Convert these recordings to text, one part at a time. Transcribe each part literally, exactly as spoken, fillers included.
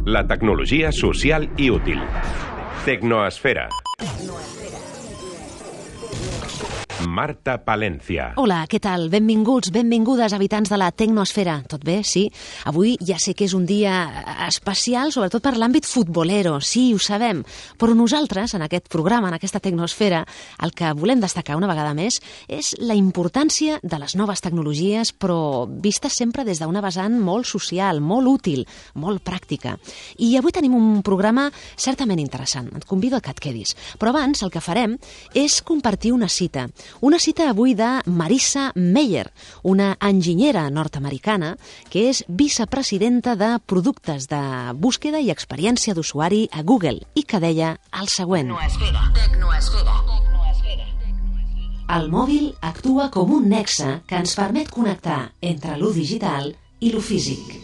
La tecnologia social i útil. Tecnoesfera. Marta Palencia. Hola, què tal? Benvinguts, benvingudes, habitants de la Tecnoesfera. Tot bé? Sí? Avui ja sé que és un dia especial, sobretot per l'àmbit futbolero. Sí, ho sabem. Però nosaltres, en aquest programa, en aquesta Tecnoesfera, el que volem destacar una vegada més és la importància de les noves tecnologies, però vistes sempre des d'una vessant molt social, molt útil, molt pràctica. I avui tenim un programa certament interessant. Et convido a que et quedis. Però abans el que farem és compartir una cita. Una cita avui de Marissa Mayer, una enginyera nord-americana que és vicepresidenta de productes de búsqueda i experiència d'usuari a Google i que deia el següent. Tecnoesfera. Tecnoesfera. El mòbil actua com un nexe que ens permet connectar entre lo digital i lo físic.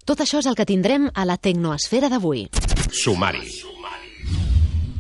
Tot això és el que tindrem a la Tecnoesfera d'avui. Sumari.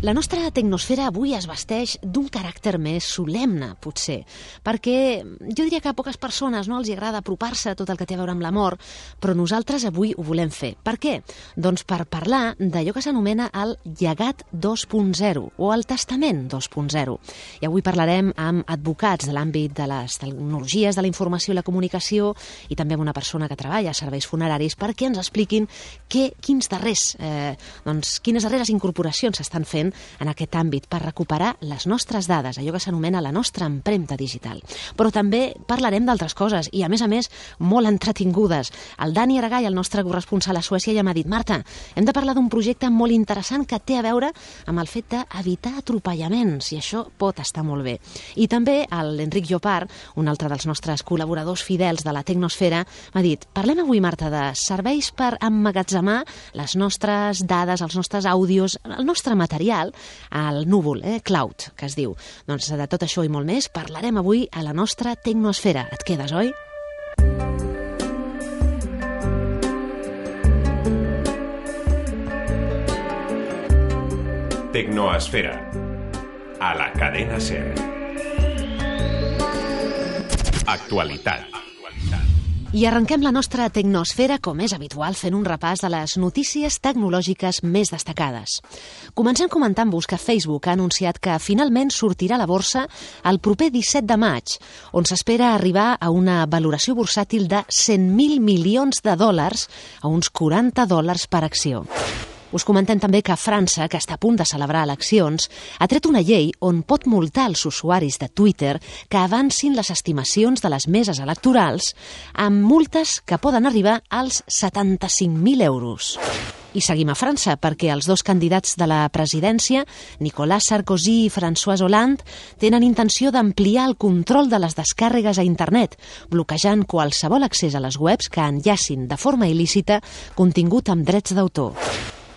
La nostra tecnosfera avui es vesteix d'un caràcter més solemne, potser, perquè jo diria que a poques persones no els agrada apropar-se a tot el que té a veure amb la mort, però nosaltres avui ho volem fer. Per què? Doncs per parlar d'allò que s'anomena el llegat dos punt zero o el testament dos punt zero. I avui parlarem amb advocats de l'àmbit de les tecnologies, de la informació i la comunicació i també amb una persona que treballa a serveis funeraris perquè ens expliquin què, quins darrers, eh, doncs, quines darreres incorporacions s'estan fent en aquest àmbit per recuperar les nostres dades, allò que s'anomena la nostra empremta digital. Però també parlarem d'altres coses i, a més a més, molt entretingudes. El Dani Aragall, el nostre corresponsal a Suècia, ja m'ha dit: Marta, hem de parlar d'un projecte molt interessant que té a veure amb el fet d'evitar atropellaments i això pot estar molt bé. I també l'Enric Llopart, un altre dels nostres col·laboradors fidels de la Tecnosfera, m'ha dit: parlem avui, Marta, de serveis per emmagatzemar les nostres dades, els nostres àudios, el nostre material al núvol, eh, cloud, que es diu. Doncs de tot això i molt més parlarem avui a la nostra Tecnoesfera. Et quedes, oi? Tecnoesfera. A la cadena SER. Actualitat. I arrenquem la nostra tecnosfera, com és habitual, fent un repàs de les notícies tecnològiques més destacades. Comencem comentant-vos que Facebook ha anunciat que finalment sortirà a la borsa el proper disset de maig, on s'espera arribar a una valoració bursàtil de cent mil milions de dòlars, a uns quaranta dòlars per acció. Us comentem també que França, que està a punt de celebrar eleccions, ha tret una llei on pot multar els usuaris de Twitter que avancin les estimacions de les meses electorals amb multes que poden arribar als setanta-cinc mil euros. I seguim a França, perquè els dos candidats de la presidència, Nicolas Sarkozy i François Hollande, tenen intenció d'ampliar el control de les descàrregues a internet, bloquejant qualsevol accés a les webs que enllacin de forma il·lícita contingut amb drets d'autor.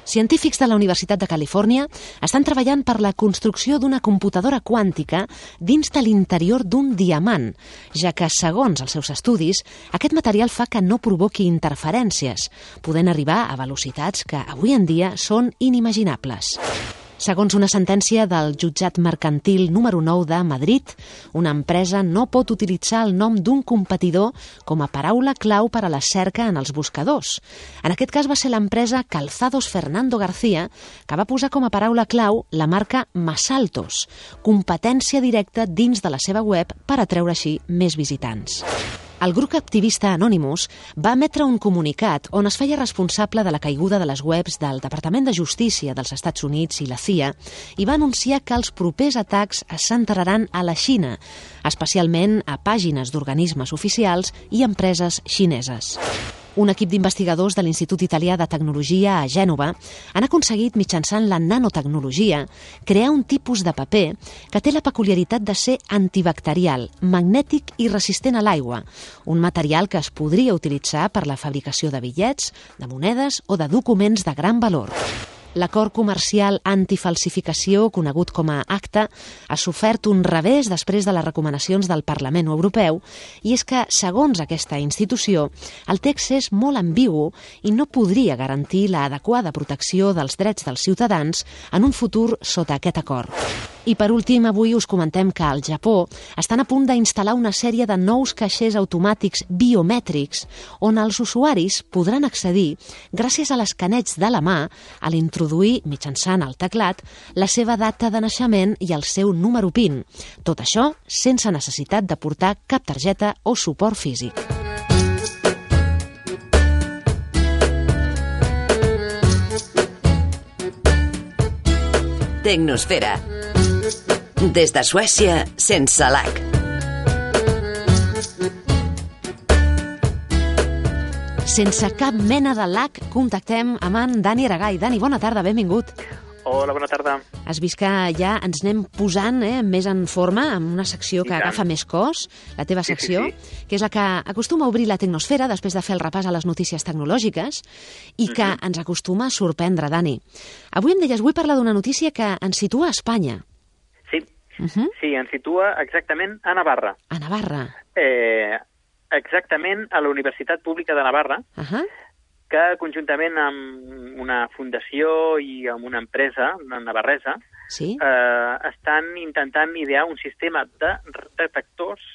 Científics de la Universitat de Califòrnia estan treballant per la construcció d'una computadora quàntica dins de l'interior d'un diamant, ja que, segons els seus estudis, aquest material fa que no provoqui interferències, podent arribar a velocitats que avui en dia són inimaginables. Segons una sentència del jutjat mercantil número nou de Madrid, una empresa no pot utilitzar el nom d'un competidor com a paraula clau per a la cerca en els buscadors. En aquest cas va ser l'empresa Calzados Fernando García que va posar com a paraula clau la marca Masaltos, competència directa dins de la seva web per atreure així més visitants. El grup activista Anonymous va emetre un comunicat on es feia responsable de la caiguda de les webs del Departament de Justícia dels Estats Units i la C I A i va anunciar que els propers atacs es centraran a la Xina, especialment a pàgines d'organismes oficials i empreses xineses. Un equip d'investigadors de l'Institut Italià de Tecnologia a Gènova han aconseguit, mitjançant la nanotecnologia, crear un tipus de paper que té la peculiaritat de ser antibacterial, magnètic i resistent a l'aigua, un material que es podria utilitzar per la fabricació de bitllets, de monedes o de documents de gran valor. L'acord comercial antifalsificació, conegut com a ACTA, ha sofert un revés després de les recomanacions del Parlament Europeu, i és que, segons aquesta institució, el text és molt ambigu i no podria garantir l'adequada protecció dels drets dels ciutadans en un futur sota aquest acord. I per últim, avui us comentem que al Japó estan a punt d'instal·lar una sèrie de nous caixers automàtics biomètrics on els usuaris podran accedir gràcies a l'escaneig de la mà a l'introduir mitjançant el teclat la seva data de naixement i el seu número PIN. Tot això sense necessitat de portar cap targeta o suport físic. Tecnosfera. Des de Suècia, sense l'ac. Sense cap mena de lag, contactem amb en Dani Aragai. Dani, bona tarda, benvingut. Hola, bona tarda. Has vist que ja ens anem posant eh, més en forma, amb una secció que agafa més cos, la teva secció, sí, sí, sí. que és la que acostuma a obrir la Tecnosfera després de fer el repàs a les notícies tecnològiques i que uh-huh. ens acostuma a sorprendre, Dani. Avui em deies, vull parlar d'una notícia que ens situa a Espanya. Sí, uh-huh. sí, ens situa exactament a Navarra. A Navarra. Eh, exactament a la Universitat Pública de Navarra, uh-huh. que conjuntament amb una fundació i amb una empresa, una navarresa, sí? eh, estan intentant idear un sistema de detectors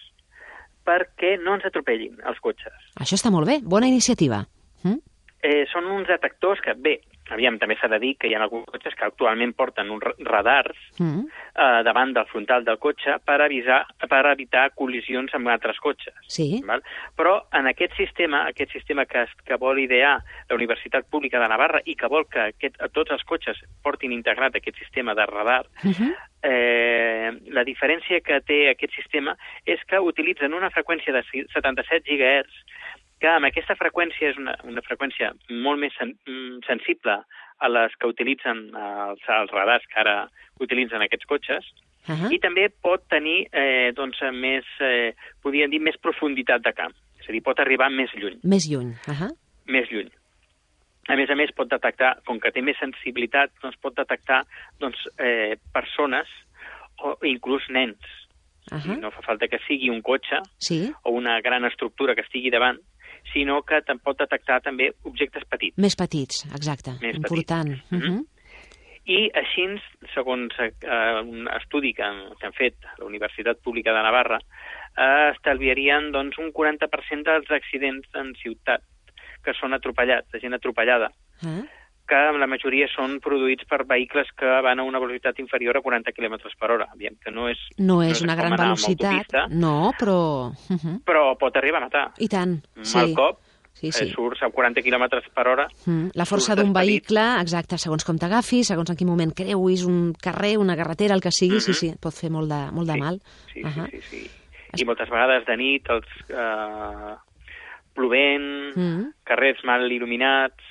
perquè no ens atropellin els cotxes. Això està molt bé, bona iniciativa. Mm? Eh, són uns detectors que, bé, aviam, també s'ha de dir que hi ha alguns cotxes que actualment porten uns radars mm. eh, davant del frontal del cotxe per avisar, per evitar col·lisions amb altres cotxes. Sí. Val? Però en aquest sistema, aquest sistema que, que vol idear la Universitat Pública de Navarra i que vol que aquest, tots els cotxes portin integrat aquest sistema de radar, uh-huh. eh, la diferència que té aquest sistema és que utilitzen una freqüència de setanta-set gigahertz, que amb aquesta freqüència és una, una freqüència molt més sen, sensible a les que utilitzen els, els radars que ara utilitzen aquests cotxes, uh-huh. i també pot tenir, eh, doncs, més, eh, podríem dir, més profunditat de camp. És a dir, pot arribar més lluny. Més lluny, uh-huh. Més lluny. A més a més, pot detectar, com que té més sensibilitat, doncs pot detectar doncs, eh, persones o inclús nens. Uh-huh. No fa falta que sigui un cotxe sí. o una gran estructura que estigui davant, sinó que pot detectar també objectes petits. Més petits, exacte. Més important. Petits. Uh-huh. I així, segons eh, un estudi que han, que han fet a la Universitat Pública de Navarra, eh, estalviarien doncs, un quaranta per cent dels accidents en ciutat que són atropellats, de gent atropellada, uh-huh. que la majoria són produïts per vehicles que van a una velocitat inferior a quaranta quilòmetres per hora. Aviam, que no és, no és no una gran velocitat, no, però... Uh-huh. Però pot arribar a matar. I tant, Un sí. mal cop, sí, sí. Eh, surts a quaranta quilòmetres per hora... Mm. La força d'un vehicle, exacte, segons com t'agafis, segons en quin moment creuis un carrer, una carretera, el que sigui, uh-huh. sí, sí, pot fer molt de, molt de sí. mal. Sí, uh-huh. sí, sí, sí. I moltes vegades de nit, els eh, plovent, mm. carrers mal il·luminats...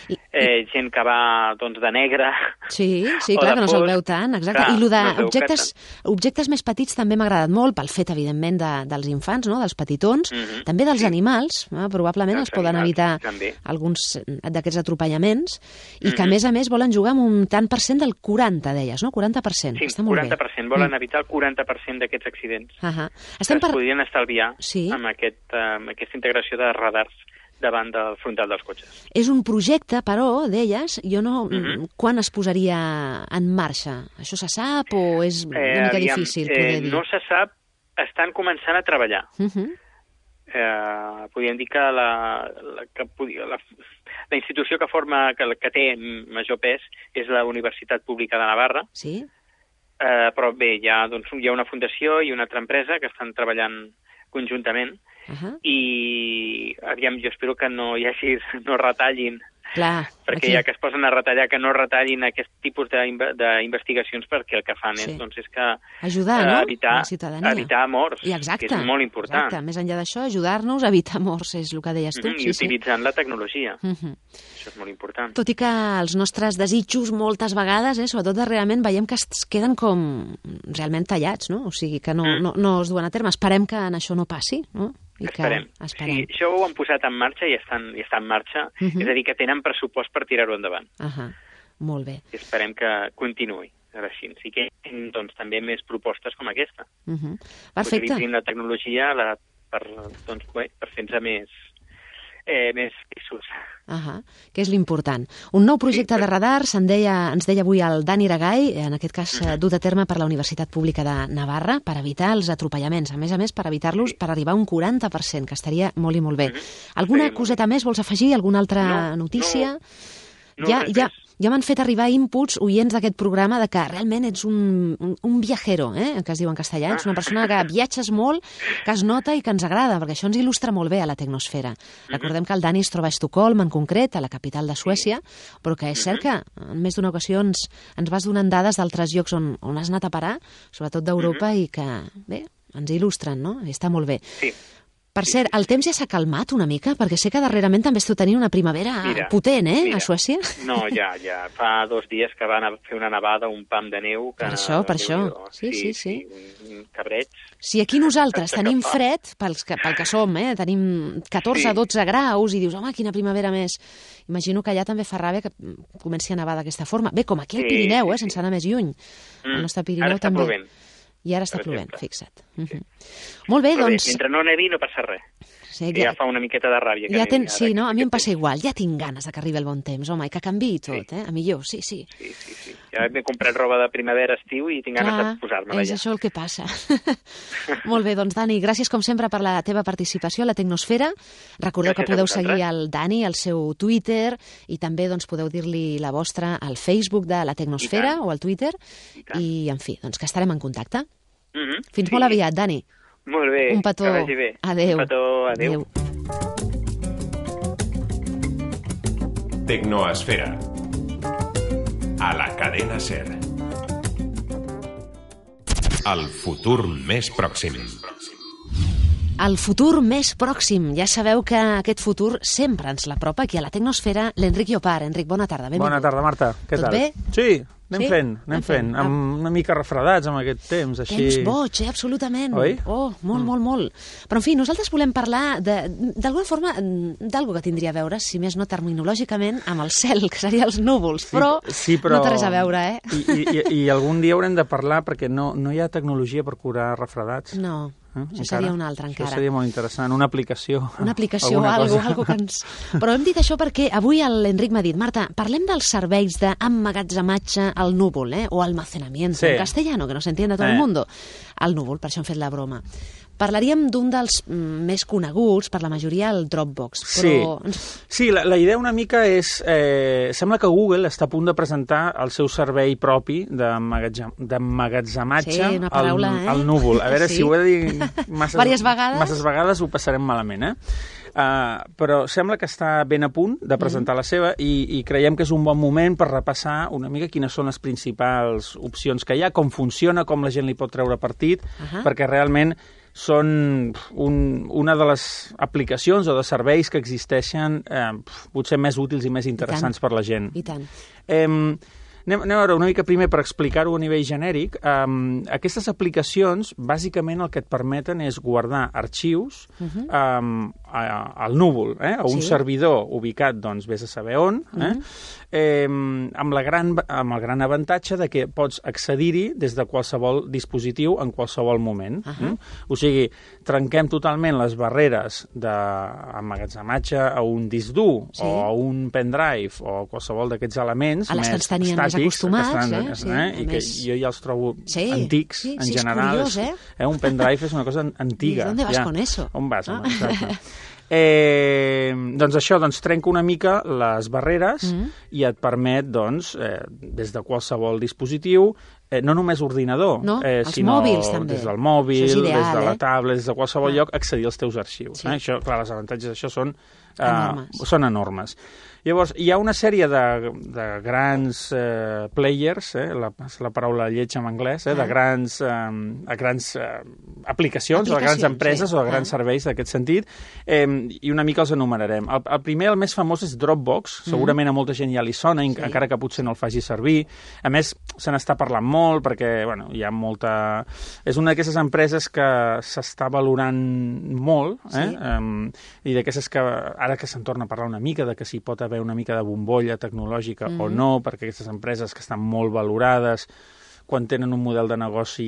I, eh, gent que va doncs, de negre. Sí, sí, clar, que no se'l veu tant, exacte. Clar, I el d'objectes no objectes més petits també m'ha agradat molt, pel fet, evidentment, de, dels infants, no? Dels petitons, mm-hmm. també dels sí. animals, eh? Probablement els poden evitar també. Alguns d'aquests atropellaments, i mm-hmm. que, a més a més, volen jugar amb un tant per cent del quaranta, deies, no? quaranta per cent. Sí, està molt quaranta per cent. Bé. Volen mm. evitar el quaranta per cent d'aquests accidents. Uh-huh. Estem que per... es podrien estalviar sí. amb, aquest, amb aquesta integració de radars davant del frontal dels cotxes. És un projecte, però, deies, jo no... Uh-huh. Quan es posaria en marxa? Això se sap o és una eh, mica aviam, difícil eh, poder dir? No se sap, estan començant a treballar. Uh-huh. eh, podríem dir que la, la, que la, la institució que forma, que, que té major pes és la Universitat Pública de Navarra. Sí? Eh, però bé, hi ha, doncs, hi ha una fundació i una altra empresa que estan treballant conjuntament. Uh-huh. I aviam, jo espero que no hi hagi, no retallin. Clar, perquè aquí. Ja que es posen a retallar, que no retallin aquest tipus d'investigacions, perquè el que fan sí. és, doncs, és que ajudar, no? evitar, la ciutadania. evitar morts, I exacte, que és molt important. Exacte. Més enllà d'això, ajudar-nos a evitar morts, és el que deies tu. Mm-hmm, sí, I utilitzant sí. la tecnologia. Mm-hmm. Això és molt important. Tot i que els nostres desitjos moltes vegades, eh, sobretot darrerament, veiem que es queden com realment tallats, no? O sigui, que no, mm. no, no es duen a terme. Esperem que en això no passi, no? I esperem. Que esperem. Sí, això ho han posat en marxa i estan, i està en marxa, uh-huh. és a dir, que tenen pressupost per tirar-ho endavant. Uh-huh. Molt bé. I esperem que continuï així. Sí que doncs, també més propostes com aquesta. Uh-huh. Perfecte. Utilitzin la tecnologia la, per, doncs, bé, per fer-nos més, eh, més fixos. Ahà, que és l'important. Un nou projecte de radar, se'n deia, ens deia avui el Dani Iragai, en aquest cas uh-huh. dut a terme per la Universitat Pública de Navarra, per evitar els atropellaments. A més a més, per evitar-los, sí. per arribar a un quaranta per cent, que estaria molt i molt bé. Uh-huh. Alguna sí, coseta més vols afegir? Alguna altra no, notícia? No, no ja, ja, ja m'han fet arribar inputs oients d'aquest programa de que realment ets un, un, un viajero, eh? que es diu en castellà. Ets una persona que viatges molt, que es nota i que ens agrada, perquè això ens il·lustra molt bé a la tecnosfera. Uh-huh. Recordem que el Dani es troba a Estocolm, en concret, a la capital de Suècia, però que és cert que en més d'una ocasió ens, ens vas donant dades d'altres llocs on, on has anat a parar, sobretot d'Europa, uh-huh. i que, bé, ens il·lustren, no? I està molt bé. Sí. Per cert, el temps ja s'ha calmat una mica? Perquè sé que darrerament també esteu tenint una primavera mira, potent, eh, mira. a Suècia? No, ja, ja. Fa dos dies que van a fer una nevada, un pam de neu. Que per això, per això. Sí, sí, sí. sí. Un cabreig. Si aquí nosaltres tenim fred, pels que, pel que som, eh, tenim catorze a dotze graus, i dius, home, quina primavera més. Imagino que allà també fa ràbia que comenci a nevar d'aquesta forma. Bé, com aquí al Pirineu, eh, sense anar més lluny. Mm. El nostre Pirineu Ara està també. plovent. I ara està plovent, fixa't. Uh -huh. Molt bé, Però doncs... Bé, mentre no nevi no passa res. Sí, ja, ja fa una miqueta de ràbia. Que ja ten... nevi, Sí, no? A mi em passa temps. igual. Ja tinc ganes de que arribi el bon temps, home, i que canviï tot, sí. eh? A millor, sí, sí. Sí, sí, sí. Ja m'he comprat roba de primavera, estiu, i tinc ganes Clar, de posar-me-la és ja. això el que passa. Molt bé, doncs, Dani, gràcies com sempre per la teva participació a la Tecnosfera. Recordeu gràcies que podeu seguir el Dani, al seu Twitter, i també doncs, podeu dir-li la vostra al Facebook de la Tecnosfera o al Twitter, i, i, en fi, doncs que estarem en contacte. Mm-hmm. Fins sí. molt aviat, Dani. Molt bé, un petó. que vagi bé. Adéu. Un petó, adéu. adéu. Tecnoesfera. A la cadena SER. El futur més pròxim. El futur més pròxim. Ja sabeu que aquest futur sempre ens l'apropa aquí a la Tecnosfera l'Enric Llopart. Enric, bona tarda. Benvingut. Bona tarda, Marta. Què Tot tal? bé? Sí, anem sí? fent, anem fent. fent. Amb una mica refredats amb aquest temps, així... Temps boig, eh? Absolutament. Oi? Oh, molt, mm. molt, molt. Però, en fi, nosaltres volem parlar d'alguna forma d'algo que tindria a veure, si més no terminològicament, amb el cel, que seria els núvols, sí, però, sí, però no té res a veure, eh? I, i, i algun dia haurem de parlar, perquè no, no hi ha tecnologia per curar refredats. No. Eh? Això encara? Seria una altra, encara. Això seria molt interessant, una aplicació. Una aplicació, algo, algo que ens... Però hem dit això perquè avui l'Enric m'ha dit, Marta, parlem dels serveis d'emmagatzematge al núvol, eh? O almacenamiento, sí. en castellano, que no s'entiende tot eh. el mundo. Al núvol, per això hem fet la broma. Parlaríem d'un dels més coneguts per la majoria, el Dropbox. Però... Sí, sí la, la idea una mica és... Eh, sembla que Google està a punt de presentar el seu servei propi d'emmagatzematge sí, al, eh? al núvol. A veure sí. si ho he de dir masses, vegades. masses vegades ho passarem malament, eh? Uh, però sembla que està ben a punt de presentar mm. la seva i, i creiem que és un bon moment per repassar una mica quines són les principals opcions que hi ha, com funciona, com la gent li pot treure partit, uh-huh. perquè realment són un, una de les aplicacions o de serveis que existeixen eh, potser més útils i més interessants per la gent. I tant. Eh, anem, anem a veure una mica primer per explicar-ho a nivell genèric. Um, aquestes aplicacions, bàsicament, el que et permeten és guardar arxius uh-huh. um, a, al núvol, eh? a un sí. servidor ubicat, doncs, vés a saber on, eh? Uh-huh. eh, amb, la gran, amb el gran avantatge de que pots accedir-hi des de qualsevol dispositiu en qualsevol moment. Uh-huh. eh? O sigui, trenquem totalment les barreres d'emmagatzematge a un disc dur sí. o a un pendrive o qualsevol d'aquests elements a les més que ens tenien estàtics, més acostumats, estan, eh? eh? Sí, i que més... jo ja els trobo sí. antics, sí, en sí, general. És curiós, eh? eh? Un pendrive és una cosa antiga. ¿Y dónde vas ja. con eso? On vas? Ah. Exacte. Eh, doncs això, doncs, trenca una mica les barreres mm-hmm. i et permet, doncs, eh, des de qualsevol dispositiu, eh, no només ordinador, no, eh, els sinó mòbils, també. des del mòbil, ideal, des de la eh? tablet, des de qualsevol ah. lloc, accedir als teus arxius. Sí. Eh? Això, clar, els avantatges d'això són, eh, enormes. són enormes. Llavors, hi ha una sèrie de, de grans eh, players, eh, la, la paraula lleig en anglès, eh, de grans, eh, grans eh, aplicacions, o de grans empreses sí. o de grans ah. serveis d'aquest sentit, eh, i una mica els enumerarem. El, el primer, el més famós, és Dropbox. Mm. Segurament a molta gent ja li sona, sí. encara que potser no el faci servir. A més, se n'està parlant molt perquè bueno, hi ha molta... És una d'aquestes empreses que s'està valorant molt, eh? Sí. Um, i d'aquestes que ara que se'n torna a parlar una mica, de que s'hi pot haver una mica de bombolla tecnològica mm. o no, perquè aquestes empreses que estan molt valorades quan tenen un model de negoci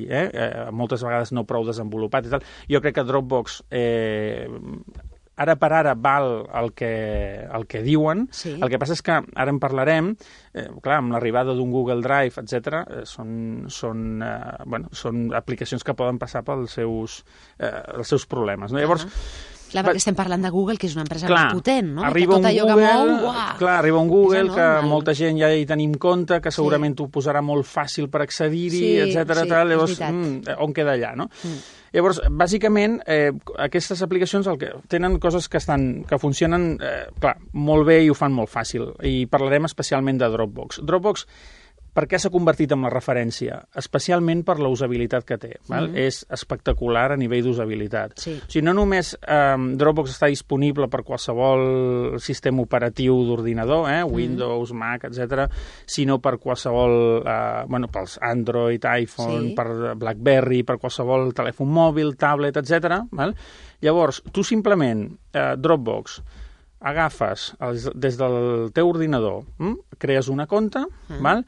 eh, eh, moltes vegades no prou desenvolupat i tal. Jo crec que Dropbox eh, ara per ara val el que, el que diuen, Sí. el que passa és que ara en parlarem, eh, clar, amb l'arribada d'un Google Drive, etcètera, eh, són, són, eh, bueno, són aplicacions que poden passar pels seus, eh, els seus problemes. No? Llavors, Clar, perquè estem parlant de Google, que és una empresa clar, molt potent, no? arriba que tot un allò Google, que mou, uah, clar, arriba un Google és que enorme. molta gent ja hi tenim compte, que segurament t'ho posarà molt fàcil per accedir-hi, Sí, etcètera, sí, tal, és llavors, veritat. mm, on queda allà, no? Mm. Llavors, bàsicament, eh, aquestes aplicacions el que tenen coses que estan que funcionen, eh, clar, molt bé i ho fan molt fàcil. I parlarem especialment de Dropbox. Dropbox, per què s'ha convertit en la referència? Especialment per la usabilitat que té. Val? Mm. És espectacular a nivell d'usabilitat. Sí. O sigui, no només eh, Dropbox està disponible per qualsevol sistema operatiu d'ordinador, eh, Windows, Mac, etcètera, sinó per qualsevol, eh, bueno, pels Android, iPhone, Sí. per BlackBerry, per qualsevol telèfon mòbil, tablet, etcètera. Val? Llavors, tu simplement, eh, Dropbox, agafes els, des del teu ordinador, hm? crees una compte, Mm. val?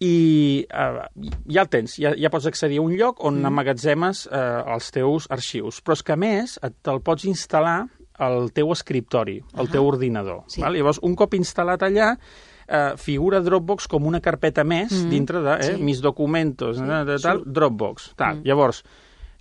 i uh, ja el tens, ja, ja pots accedir a un lloc on mm. emmagatzemes uh, els teus arxius. Però és que, a més, et- te'l pots instal·lar al teu escriptori, al Ah. teu ordinador. Sí. Val? Llavors, un cop instal·lat allà, uh, figura Dropbox com una carpeta més Mm. dintre de eh, Sí. mis documentos, Sí, eh, de tal, surt. Dropbox. Tal. Mm. Llavors,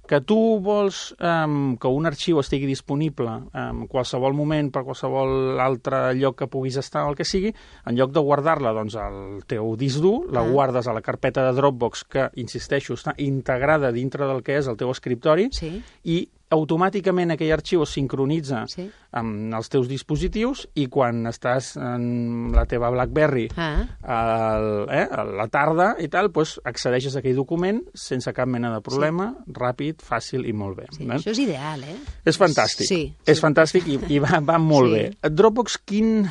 que tu vols um, que un arxiu estigui disponible en qualsevol moment, per qualsevol altre lloc que puguis estar o el que sigui, en lloc de guardar-la doncs, al teu disc dur, la Ah. guardes a la carpeta de Dropbox que, insisteixo, està integrada dintre del que és el teu escriptori Sí. i automàticament aquell arxiu es sincronitza Sí. amb els teus dispositius i quan estàs en la teva BlackBerry Ah. al, eh, a la tarda i tal, doncs accedeixes a aquell document sense cap mena de problema, sí. ràpid, fàcil i molt bé. Sí, val? això és ideal, eh? És fantàstic. Sí, És sí. fantàstic i, i va, va molt Sí. bé. Dropbox, quin...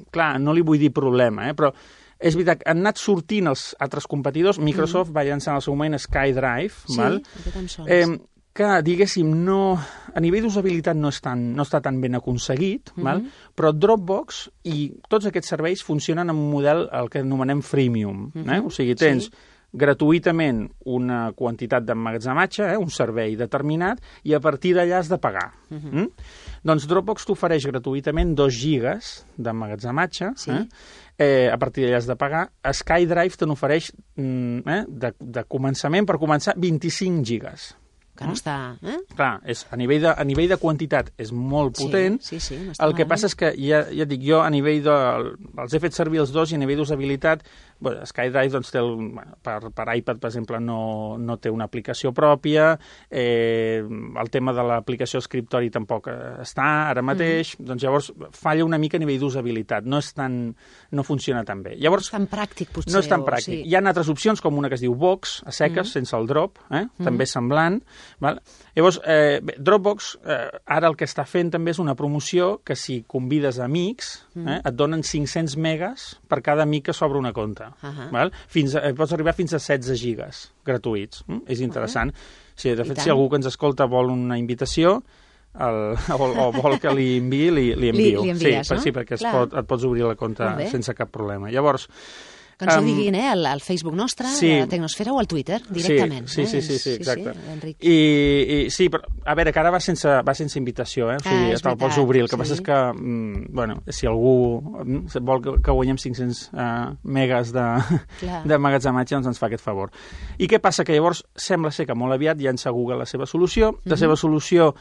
Clar, no li vull dir problema, eh, però és veritat, han anat sortint els altres competidors. Microsoft mm. va llançar en el seu moment SkyDrive, Sí, val? aquest em sona. Eh, que, diguéssim, no, a nivell d'usabilitat no, és tan, no està tan ben aconseguit, Mhm. val? Però Dropbox i tots aquests serveis funcionen en un model el que anomenem freemium. Eh? Mhm. O sigui, tens Sí. gratuïtament una quantitat d'emmagatzematge, eh? un servei determinat, i a partir d'allà has de pagar. Mhm. mm? Doncs Dropbox t'ofereix gratuïtament dos gigas d'emmagatzematge, Sí. eh? Eh, a partir d'allà has de pagar. SkyDrive te n'ofereix mm, eh? de, de començament, per començar, vint-i-cinc gigas. Que no està... Eh? Clar, és, a, nivell de, a nivell de quantitat és molt potent. Sí, sí, sí, no està El que malament. passa és que, ja, ja et dic, jo a nivell de... Els he fet servir els dos i a nivell d'usabilitat, bueno, SkyDrive doncs, té el, bueno, per, per iPad, per exemple, no, no té una aplicació pròpia, eh, el tema de l'aplicació escriptori tampoc està ara mateix, mm. doncs llavors falla una mica a nivell d'usabilitat, no és tan... no funciona tan bé. Llavors, No és tan pràctic, potser. no és tan o- pràctic. Sí. Hi ha altres opcions, com una que es diu Box, a seques, mm. sense el drop, eh? mm. també semblant. Val? Llavors, eh, bé, Dropbox, eh, ara el que està fent també és una promoció que si convides amics, Mm. eh, et donen cinc-cents megas per cada amic que s'obre una compte. Ahà. Val? Fins a, eh, pots arribar fins a setze gigas gratuïts. Mm? És interessant. Sí, de I fet, tant. si algú que ens escolta vol una invitació, el, o, o vol que li enviï, li, li envio. Li- li envies, sí, no? sí, perquè es Clar. pot, et pots obrir la compte Molt bé. sense cap problema. Llavors, Que ens ho Em, diguin, eh, al, al Facebook nostre, sí. de Tecnosfera, o al Twitter, directament. Sí, eh? sí, sí, sí, exacte. Sí, sí, Enric. I, i sí, però, a veure, que ara va sense, va sense invitació, eh? O sigui, Ah, és te'l pots veritat, obrir. El que sí. passa és que, mm, bueno, si algú mm, vol que, que guanyem cinc-cents uh, megas de, Clar. de magatzematge, doncs ens fa aquest favor. I què passa? Que llavors sembla ser que molt aviat llança Google la seva solució. La Mhm. seva solució,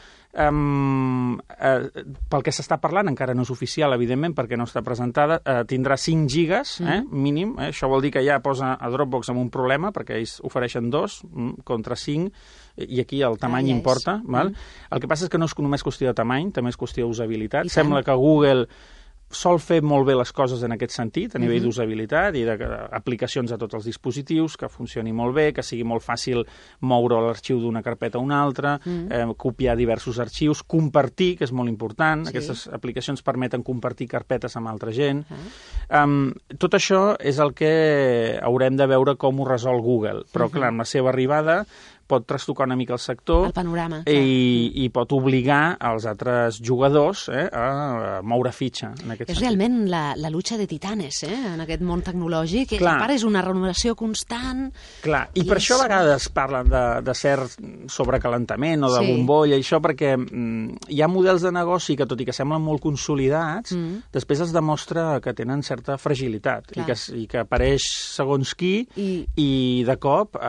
um, eh, pel que s'està parlant, encara no és oficial, evidentment, perquè no està presentada, eh, tindrà cinc gigas, eh, Mhm. mínim. Eh? Això vol dir que ja posa a Dropbox amb un problema, perquè ells ofereixen dos mm, contra cinc, i aquí el tamany Ah, ja és. importa. Val? Mm. El que passa és que no és només qüestió de tamany, també és qüestió d'usabilitat. I Sembla tant. que Google sol fer molt bé les coses en aquest sentit, a nivell Mhm. d'usabilitat i d'aplicacions a tots els dispositius, que funcioni molt bé, que sigui molt fàcil moure l'arxiu d'una carpeta a una altra, Mhm. eh, copiar diversos arxius, compartir, que és molt important. Sí. Aquestes aplicacions permeten compartir carpetes amb altra gent. Ah. Um, tot això és el que haurem de veure com ho resol Google. Però, Mhm. clar, amb la seva arribada pot trastocar una mica el sector. El panorama. I, i pot obligar els altres jugadors eh, a moure fitxa. En aquest és sentit. realment la, la lucha de titanes, eh, en aquest món tecnològic. Clar. A part, és una renovació constant. Clar, i, i per és... això a vegades parlen de, de cert sobrecalentament o de sí. bombolla, i això perquè mm, hi ha models de negoci que, tot i que semblen molt consolidats, mm. després es demostra que tenen certa fragilitat i que, i que apareix segons qui i, i de cop eh,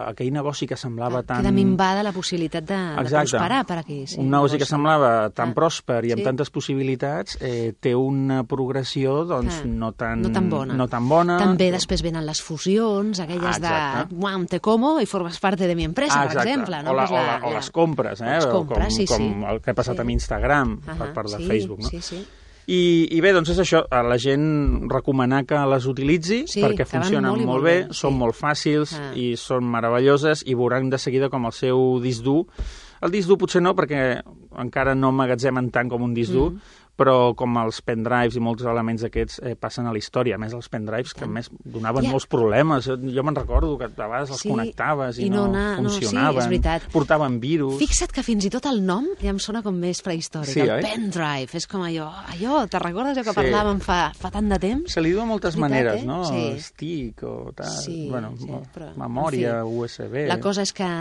aquell negoci que semblava clar, tan... Queda minvada la possibilitat de, de prosperar per aquí. Sí, un negoci que semblava tan ah. pròsper i amb sí. tantes possibilitats eh, té una progressió doncs, ah. no, tan, no, tan bona. no tan bona. També després venen les fusions, aquelles ah, de «Uam, te como i formes parte de mi empresa», ah, per exemple. No? O, la, pues la, o, la, o la... les compres, eh? Les compres, com, sí, com sí. el que ha passat sí. amb Instagram uh -huh. per part de sí, Facebook. No? Sí, sí. I, I bé, doncs és això, a la gent recomanar que les utilitzi sí, perquè funcionen molt, molt bé, bé, són sí. molt fàcils ah. i són meravelloses i veuran de seguida com el seu disc dur. El disc dur potser no, perquè encara no emmagatzemen tant com un disc dur, mm. però com els pendrives i molts elements d'aquests eh, passen a la història. A més, els pendrives que a més donaven ja. molts problemes. Jo, jo me'n recordo que a vegades els sí, connectaves i, i no, no, no funcionaven. No, sí, és veritat. Portaven virus. Fixa't que fins i tot el nom ja em sona com més prehistòric. Sí, el oi? pendrive, és com allò, allò, te'n recordes allò que sí. parlàvem fa, fa tant de temps? Se li diu de moltes veritat, maneres, eh? no? Sí. Stick o tal, sí, bueno, sí, però, memòria, en fi, U S B... La cosa és que,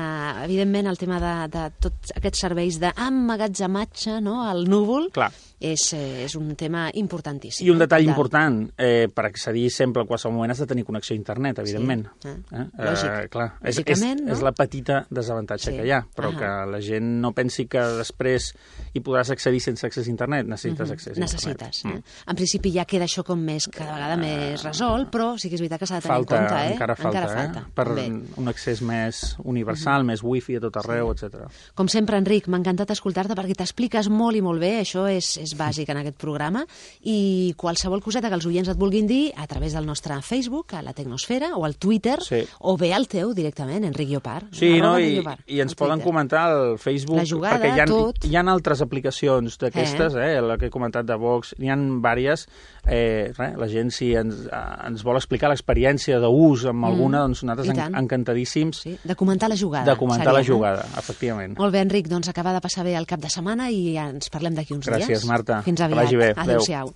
evidentment, el tema de, de tots aquests serveis d'emmagatzematge, no?, al núvol, clar. És, és un tema importantíssim. I un detall de... important, eh, per accedir sempre en qualsevol moment has de tenir connexió a internet, evidentment. Sí. Eh? Lògic. Eh, clar. És, és, no? és la petita desavantatge sí. que hi ha, però uh-huh. que la gent no pensi que després hi podràs accedir sense accés a internet. Necessites uh-huh. accés a Necessites, internet. Eh? Mm. En principi ja queda això com més, cada vegada uh, més resolt, però sí que és veritat que s'ha de tenir falta, en compte. Eh? Encara falta, encara falta. Eh? Per Bé. un accés més universal, uh-huh. més wifi a tot arreu, sí. etcètera. Com sempre, Enric, m'ha encantat escoltar-te perquè t'expliques molt i molt bé, això és, és bàsic en aquest programa, i qualsevol coseta que els oients et vulguin dir a través del nostre Facebook, a la Tecnosfera, o al Twitter, sí. o bé al teu directament, Enric Llopart. Sí, no? I, Llopart, i ens poden comentar al Facebook, la jugada, perquè hi ha, tot. hi ha altres aplicacions d'aquestes, eh? eh, la que he comentat de Vox, n'hi ha diverses. Eh, res, la gent, si ens, ens vol explicar l'experiència d'ús amb alguna, mm, doncs nosaltres en, encantadíssims. Sí, de comentar la jugada. De comentar seria, la jugada, eh? efectivament. Molt bé, Enric, doncs acabar de passar bé el cap de setmana i ja ens parlem d'aquí uns Gràcies, dies. Gràcies, Marta. Fins aviat. Que vagi bé. Adéu-siau.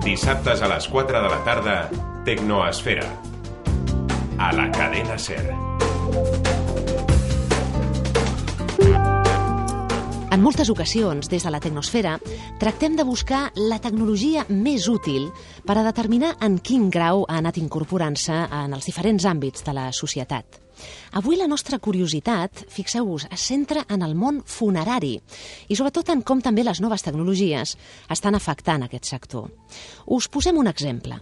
Dissabtes a les quatre de la tarda, Tecnoesfera. A la cadena SER. En moltes ocasions, des de la Tecnosfera, tractem de buscar la tecnologia més útil per a determinar en quin grau ha anat incorporant-se en els diferents àmbits de la societat. Avui la nostra curiositat, fixeu-vos, es centra en el món funerari i sobretot en com també les noves tecnologies estan afectant aquest sector. Us posem un exemple.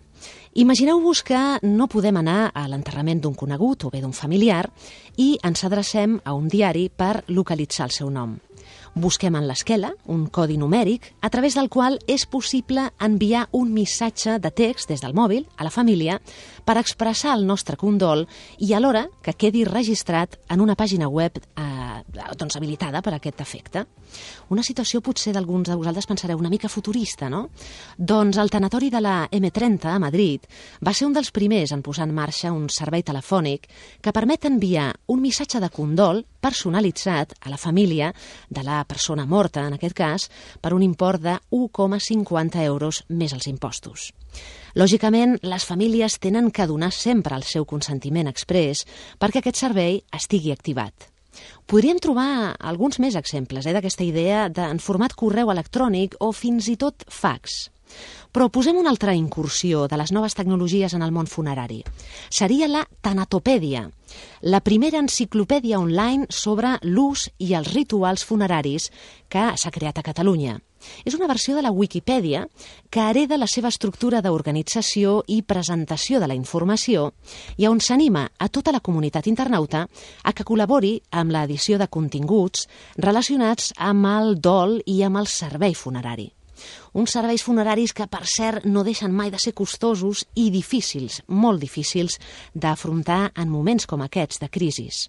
Imagineu-vos que no podem anar a l'enterrament d'un conegut o bé d'un familiar i ens adrecem a un diari per localitzar el seu nom. Busquem en l'esquela un codi numèric a través del qual és possible enviar un missatge de text des del mòbil a la família per expressar el nostre condol i alhora que quedi registrat en una pàgina web eh, doncs habilitada per a aquest efecte. Una situació potser d'alguns de vosaltres pensareu una mica futurista, no? Doncs el tanatori de la eme trenta a Madrid va ser un dels primers en posar en marxa un servei telefònic que permet enviar un missatge de condol personalitzat a la família de la persona morta, en aquest cas, per un import de un coma cinquanta euros més els impostos. Lògicament, les famílies tenen que donar sempre el seu consentiment exprés perquè aquest servei estigui activat. Podríem trobar alguns més exemples eh, d'aquesta idea de, en format correu electrònic o fins i tot fax. Però posem una altra incursió de les noves tecnologies en el món funerari. Seria la Tanatopèdia, la primera enciclopèdia online sobre l'ús i els rituals funeraris que s'ha creat a Catalunya. És una versió de la Wikipedia que hereda la seva estructura d'organització i presentació de la informació i on s'anima a tota la comunitat internauta a que col·labori amb l'edició de continguts relacionats amb el dol i amb el servei funerari. Uns serveis funeraris que, per cert, no deixen mai de ser costosos i difícils, molt difícils, d'afrontar en moments com aquests de crisis.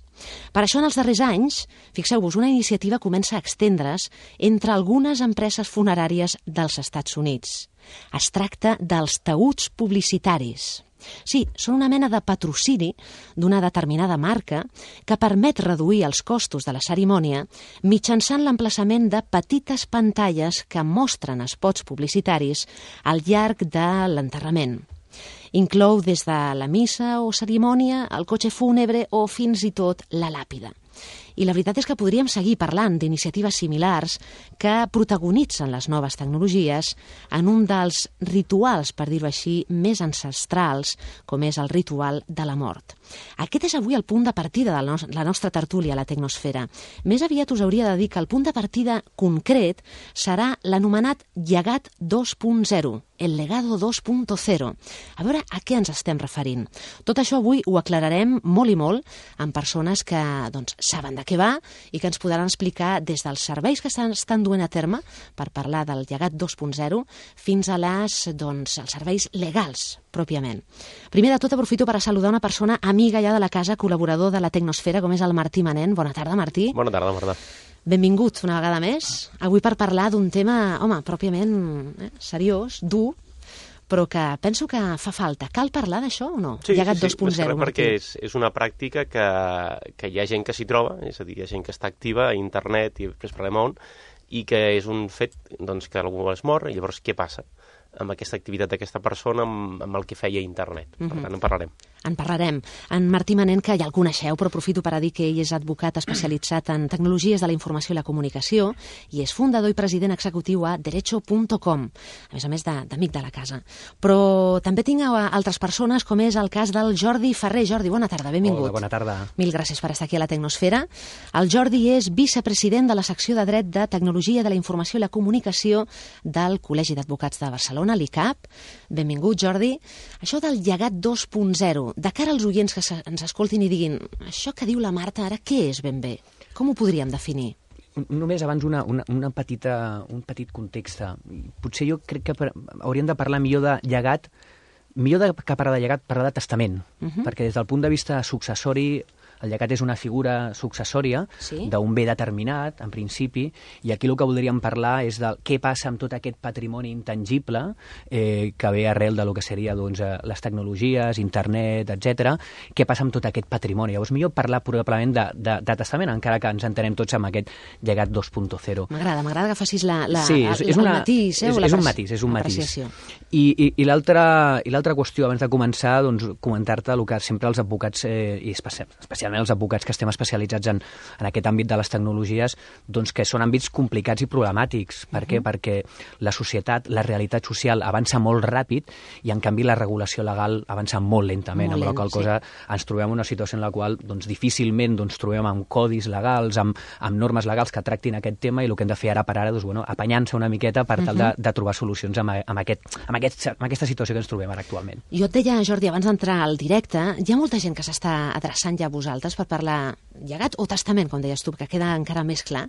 Per això, en els darrers anys, fixeu-vos, una iniciativa comença a extendre's entre algunes empreses funeràries dels Estats Units. Es tracta dels taüts publicitaris. Sí, són una mena de patrocini d'una determinada marca que permet reduir els costos de la cerimònia mitjançant l'emplaçament de petites pantalles que mostren spots publicitaris al llarg de l'enterrament. Inclou des de la missa o cerimònia, el cotxe fúnebre o fins i tot la làpida. I la veritat és que podríem seguir parlant d'iniciatives similars que protagonitzen les noves tecnologies en un dels rituals, per dir-ho així, més ancestrals, com és el ritual de la mort. Aquest és avui el punt de partida de la nostra tertúlia a la Tecnosfera. Més aviat us hauria de dir que el punt de partida concret serà l'anomenat llegat dos punt zero, el legado dos punt zero. A veure a què ens estem referint. Tot això avui ho aclararem molt i molt amb persones que doncs, saben de què va i que ens podran explicar des dels serveis que estan, estan duent a terme per parlar del llegat dos punt zero fins a les, doncs, els serveis legals, pròpiament. Primer de tot, aprofito per a saludar una persona amiga ja de la casa, col·laborador de la Tecnosfera, com és el Martí Manent. Bona tarda, Martí. Bona tarda, Marta. Benvingut una vegada més. Avui per parlar d'un tema, home, pròpiament eh, seriós, dur, però que penso que fa falta. Cal parlar d'això o no? Sí, Llegat sí, sí, dos punt zero, perquè és, és una pràctica que, que hi ha gent que s'hi troba, és a dir, hi ha gent que està activa a internet i després parlem on, i que és un fet doncs, que algú es mor, i llavors què passa amb aquesta activitat d'aquesta persona, amb, amb el que feia internet. Per tant, en parlarem. En parlarem. En Martí Manent, que ja el coneixeu, però aprofito per a dir que ell és advocat especialitzat en tecnologies de la informació i la comunicació i és fundador i president executiu a derecho punt com, a més a més d'amic de, de la casa. Però també tinc altres persones, com és el cas del Jordi Ferrer. Jordi, bona tarda, benvingut. Hola, bona tarda. Mil gràcies per estar aquí a la Tecnosfera. El Jordi és vicepresident de la secció de Dret de Tecnologia de la Informació i la Comunicació del Col·legi d'Advocats de Barcelona, l'I C A P. Benvingut, Jordi. Això del llegat dos punt zero, de cara als oients que ens escoltin i diguin això que diu la Marta ara, què és ben bé? Com ho podríem definir? Només abans una, una, una petita, un petit context. Potser jo crec que per, hauríem de parlar millor de llegat, millor de, que parlar de llegat, parlar de testament, uh-huh. perquè des del punt de vista successori el llegat és una figura successòria sí? d'un bé determinat, en principi, i aquí el que voldríem parlar és de què passa amb tot aquest patrimoni intangible eh, que ve arrel de lo que seria doncs, les tecnologies, internet, etcètera. Què passa amb tot aquest patrimoni? Llavors, millor parlar probablement de, de, de testament, encara que ens entenem tots amb aquest llegat dos punt zero. M'agrada, m'agrada que facis la, la, sí, és, és una, el matís, eh, és, o la és un matís, és un matís. Apreciació. I, i, i l'altra qüestió, abans de començar, doncs, comentar-te el que sempre els advocats, eh, i especialment els advocats que estem especialitzats en, en aquest àmbit de les tecnologies, doncs que són àmbits complicats i problemàtics. Per què? Uh-huh. Perquè la societat, la realitat social avança molt ràpid i, en canvi, la regulació legal avança molt lentament, molt amb la qual cosa sí. ens trobem en una situació en la qual doncs, difícilment doncs, trobem amb codis legals, amb, amb normes legals que tractin aquest tema, i el que hem de fer ara per ara, doncs, bueno, apanyant-se una miqueta per tal de, de trobar solucions amb, amb, aquest, amb, aquest, amb aquesta situació que ens trobem ara actualment. Jo et deia, Jordi, abans d'entrar al directe, hi ha molta gent que s'està adreçant ja a vosaltres per parlar llegat o testament, com deies tu, que queda encara més clar.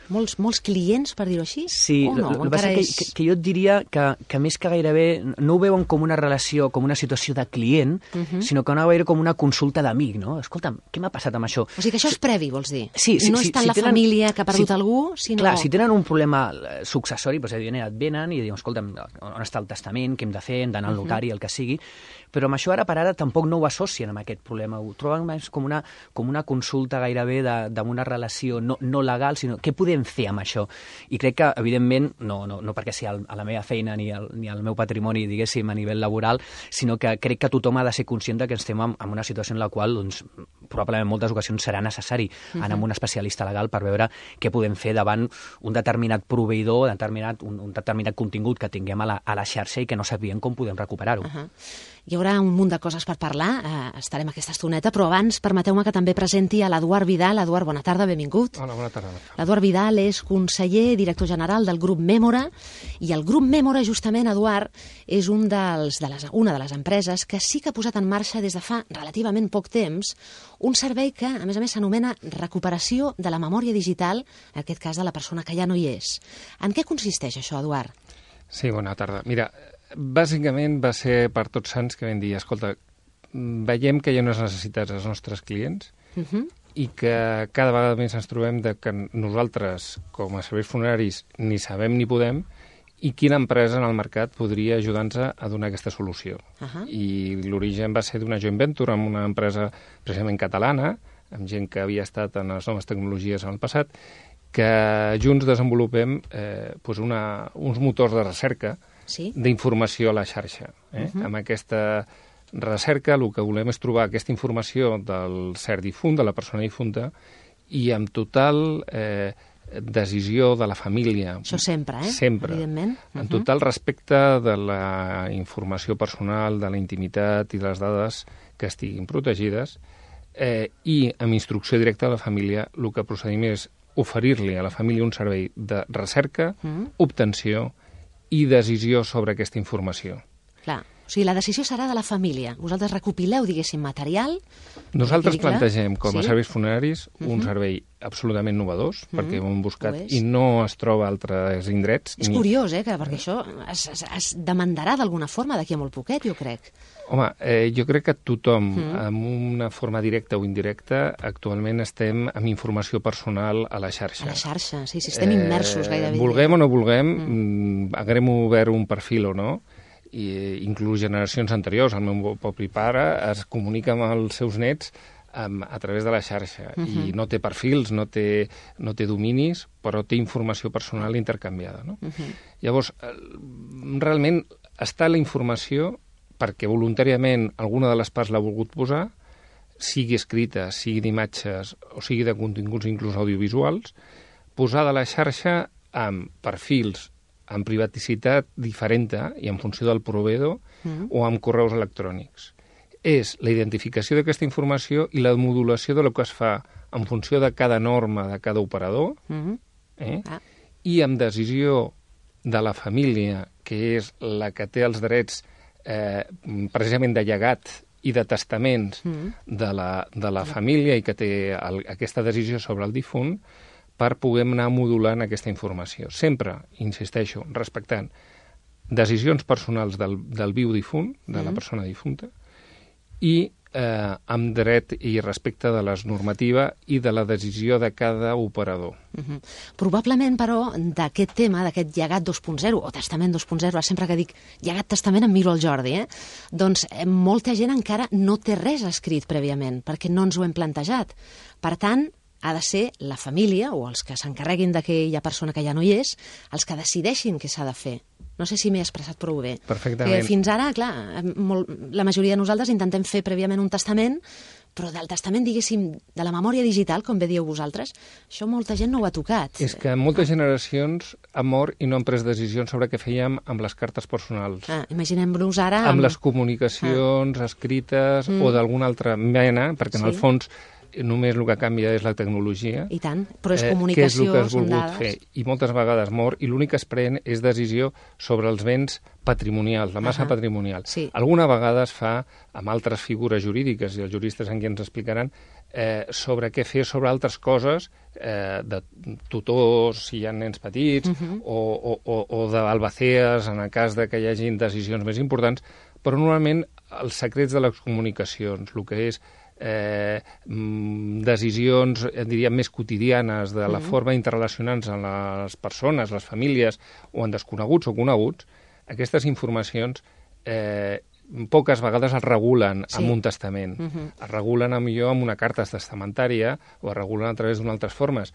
Molts, molts clients, per dir-ho així? Sí, o no? el que passa és... que, que, que jo et diria que, que més que gairebé no ho veuen com una relació, com una situació de client, uh-huh. sinó que ho veure com una consulta d'amic, no? Escolta'm, què m'ha passat amb això? O sigui que això és previ, vols dir? Sí, sí, no és tant si la tenen, família que ha perdut si, algú, sinó... Clar, si tenen un problema successori, doncs evidentment et venen i diuen, escolta'm, on està el testament, què hem de fer, hem d'anar al notari, el que sigui, però amb això ara per ara tampoc no ho associen amb aquest problema, ho troben més com una, com una consulta gairebé d'una relació no, no legal, sinó què podem fer amb això? I crec que, evidentment, no, no, no perquè sigui a la meva feina ni al, ni al meu patrimoni, diguéssim, a nivell laboral, sinó que crec que tothom ha de ser conscient que estem en, en una situació en la qual, doncs, probablement en moltes ocasions serà necessari uh-huh. anar amb un especialista legal per veure què podem fer davant un determinat proveïdor, determinat, un, un determinat contingut que tinguem a la, a la xarxa i que no sabíem com podem recuperar-ho. Uh-huh. Hi haurà un munt de coses per parlar, eh, estarem aquesta estoneta, però abans permeteu-me que també presenti a l'Eduard Vidal. Eduard, bona tarda, benvingut. Hola, bona tarda. L'Eduard Vidal és conseller, director general del grup Memora, i el grup Memora, justament, Eduard, és un dels, de les, una de les empreses que sí que ha posat en marxa des de fa relativament poc temps un servei que, a més a més, s'anomena recuperació de la memòria digital, en aquest cas de la persona que ja no hi és. En què consisteix això, Eduard? Sí, bona tarda. Mira, bàsicament va ser per Tots Sants que vam dir, escolta, veiem que hi ha unes necessitats dels nostres clients uh-huh. i que cada vegada més ens trobem de que nosaltres, com a serveis funeraris, ni sabem ni podem, i quina empresa en el mercat podria ajudar-nos a donar aquesta solució. Uh-huh. I l'origen va ser d'una joint venture amb una empresa precisament catalana, amb gent que havia estat en les noves tecnologies en el passat, que junts desenvolupem eh, doncs una, uns motors de recerca sí? d'informació a la xarxa. Eh? Uh-huh. Amb aquesta recerca el que volem és trobar aquesta informació del cert difunt, de la persona difunta, i amb total eh, decisió de la família. Això sempre, eh? Sempre. Evidentment. Uh-huh. En total respecte de la informació personal, de la intimitat i de les dades que estiguin protegides, eh, i amb instrucció directa a la família, el que procedim és oferir-li a la família un servei de recerca, uh-huh. obtenció i decisió sobre aquesta informació. Clar. O sigui, la decisió serà de la família. Vosaltres recopileu, diguéssim, material... Nosaltres plantegem, com a sí? serveis funeraris, uh-huh. un servei absolutament novedós, uh-huh. perquè ho hem buscat i no es troba a altres indrets. És ni... curiós, eh, que, perquè això es, es, es demandarà d'alguna forma d'aquí a molt poquet, jo crec. Home, eh, jo crec que tothom, uh-huh. amb una forma directa o indirecta, actualment estem amb informació personal a la xarxa. A la xarxa, sí, sí, estem immersos gairebé. Vulguem o no vulguem, uh-huh. haguem obert un perfil o no, i inclús generacions anteriors, el meu propi pare es comunica amb els seus nets um, a través de la xarxa uh-huh. i no té perfils, no té, no té dominis, però té informació personal intercanviada. No? Uh-huh. Llavors, realment està la informació perquè voluntàriament alguna de les parts l'ha volgut posar, sigui escrita, sigui d'imatges o sigui de continguts inclús audiovisuals, posada a la xarxa amb perfils amb privaticitat diferent i en funció del proveïdor mm. o amb correus electrònics. És la identificació d'aquesta informació i la modulació de lo que es fa en funció de cada norma de cada operador mm. eh? ah. i amb decisió de la família, que és la que té els drets eh, precisament de llegat i de testaments mm. de, la, de la família i que té el, aquesta decisió sobre el difunt, per poder anar modulant aquesta informació. Sempre, insisteixo, respectant decisions personals del, del viu difunt, de mm-hmm. la persona difunta, i eh, amb dret i respecte de les normativa i de la decisió de cada operador. Mm-hmm. Probablement, però, d'aquest tema, d'aquest llegat dos punt zero, o testament dos punt zero, sempre que dic llegat testament em miro el Jordi, eh? doncs eh, molta gent encara no té res escrit prèviament, perquè no ens ho hem plantejat. Per tant, ha de ser la família, o els que s'encarreguin d'aquella persona que ja no hi és, els que decideixin què s'ha de fer. No sé si m'he expressat prou bé. Perfectament. Que fins ara, clar, molt, la majoria de nosaltres intentem fer prèviament un testament, però del testament, diguéssim, de la memòria digital, com bé dieu vosaltres, això molta gent no ho ha tocat. És que moltes generacions han mort i no han pres decisions sobre què fèiem amb les cartes personals. Ah, imaginem-nos ara... Amb, amb les comunicacions ah. escrites mm. o d'alguna altra mena, perquè en sí. el fons només el que canvia és la tecnologia. I tant, però és comunicació, eh, que és el que has són volgut dades. fer. I moltes vegades mor, i l'únic que es pren és decisió sobre els béns patrimonials, la massa uh-huh. patrimonial. Sí. Alguna vegada es fa amb altres figures jurídiques, i els juristes en qui ens explicaran, eh, sobre què fer sobre altres coses, eh, de tutors, si hi ha nens petits, uh-huh. o, o, o, o d'albacees, en el cas de que hi hagi decisions més importants, però normalment els secrets de les comunicacions, el que és Eh, decisions, diríem, més quotidianes de la mm. forma d'interrelacionar-nos amb les persones, les famílies, o en desconeguts o coneguts, aquestes informacions eh, poques vegades es regulen sí. amb un testament. Mm-hmm. Es regulen, a millor, amb una carta testamentària o es regulen a través d'unes altres formes,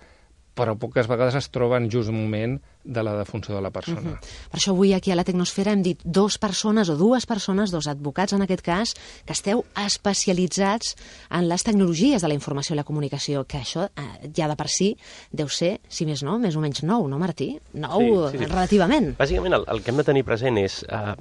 però poques vegades es troben just un moment de la defunció de la persona. Uh-huh. Per això avui aquí a la Tecnosfera hem dit dos persones o dues persones, dos advocats en aquest cas, que esteu especialitzats en les tecnologies de la informació i la comunicació, que això eh, ja de per si deu ser, si més no, més o menys nou, no, Martí? Nou, sí, sí, sí. relativament. Bàsicament el, el que hem de tenir present és eh,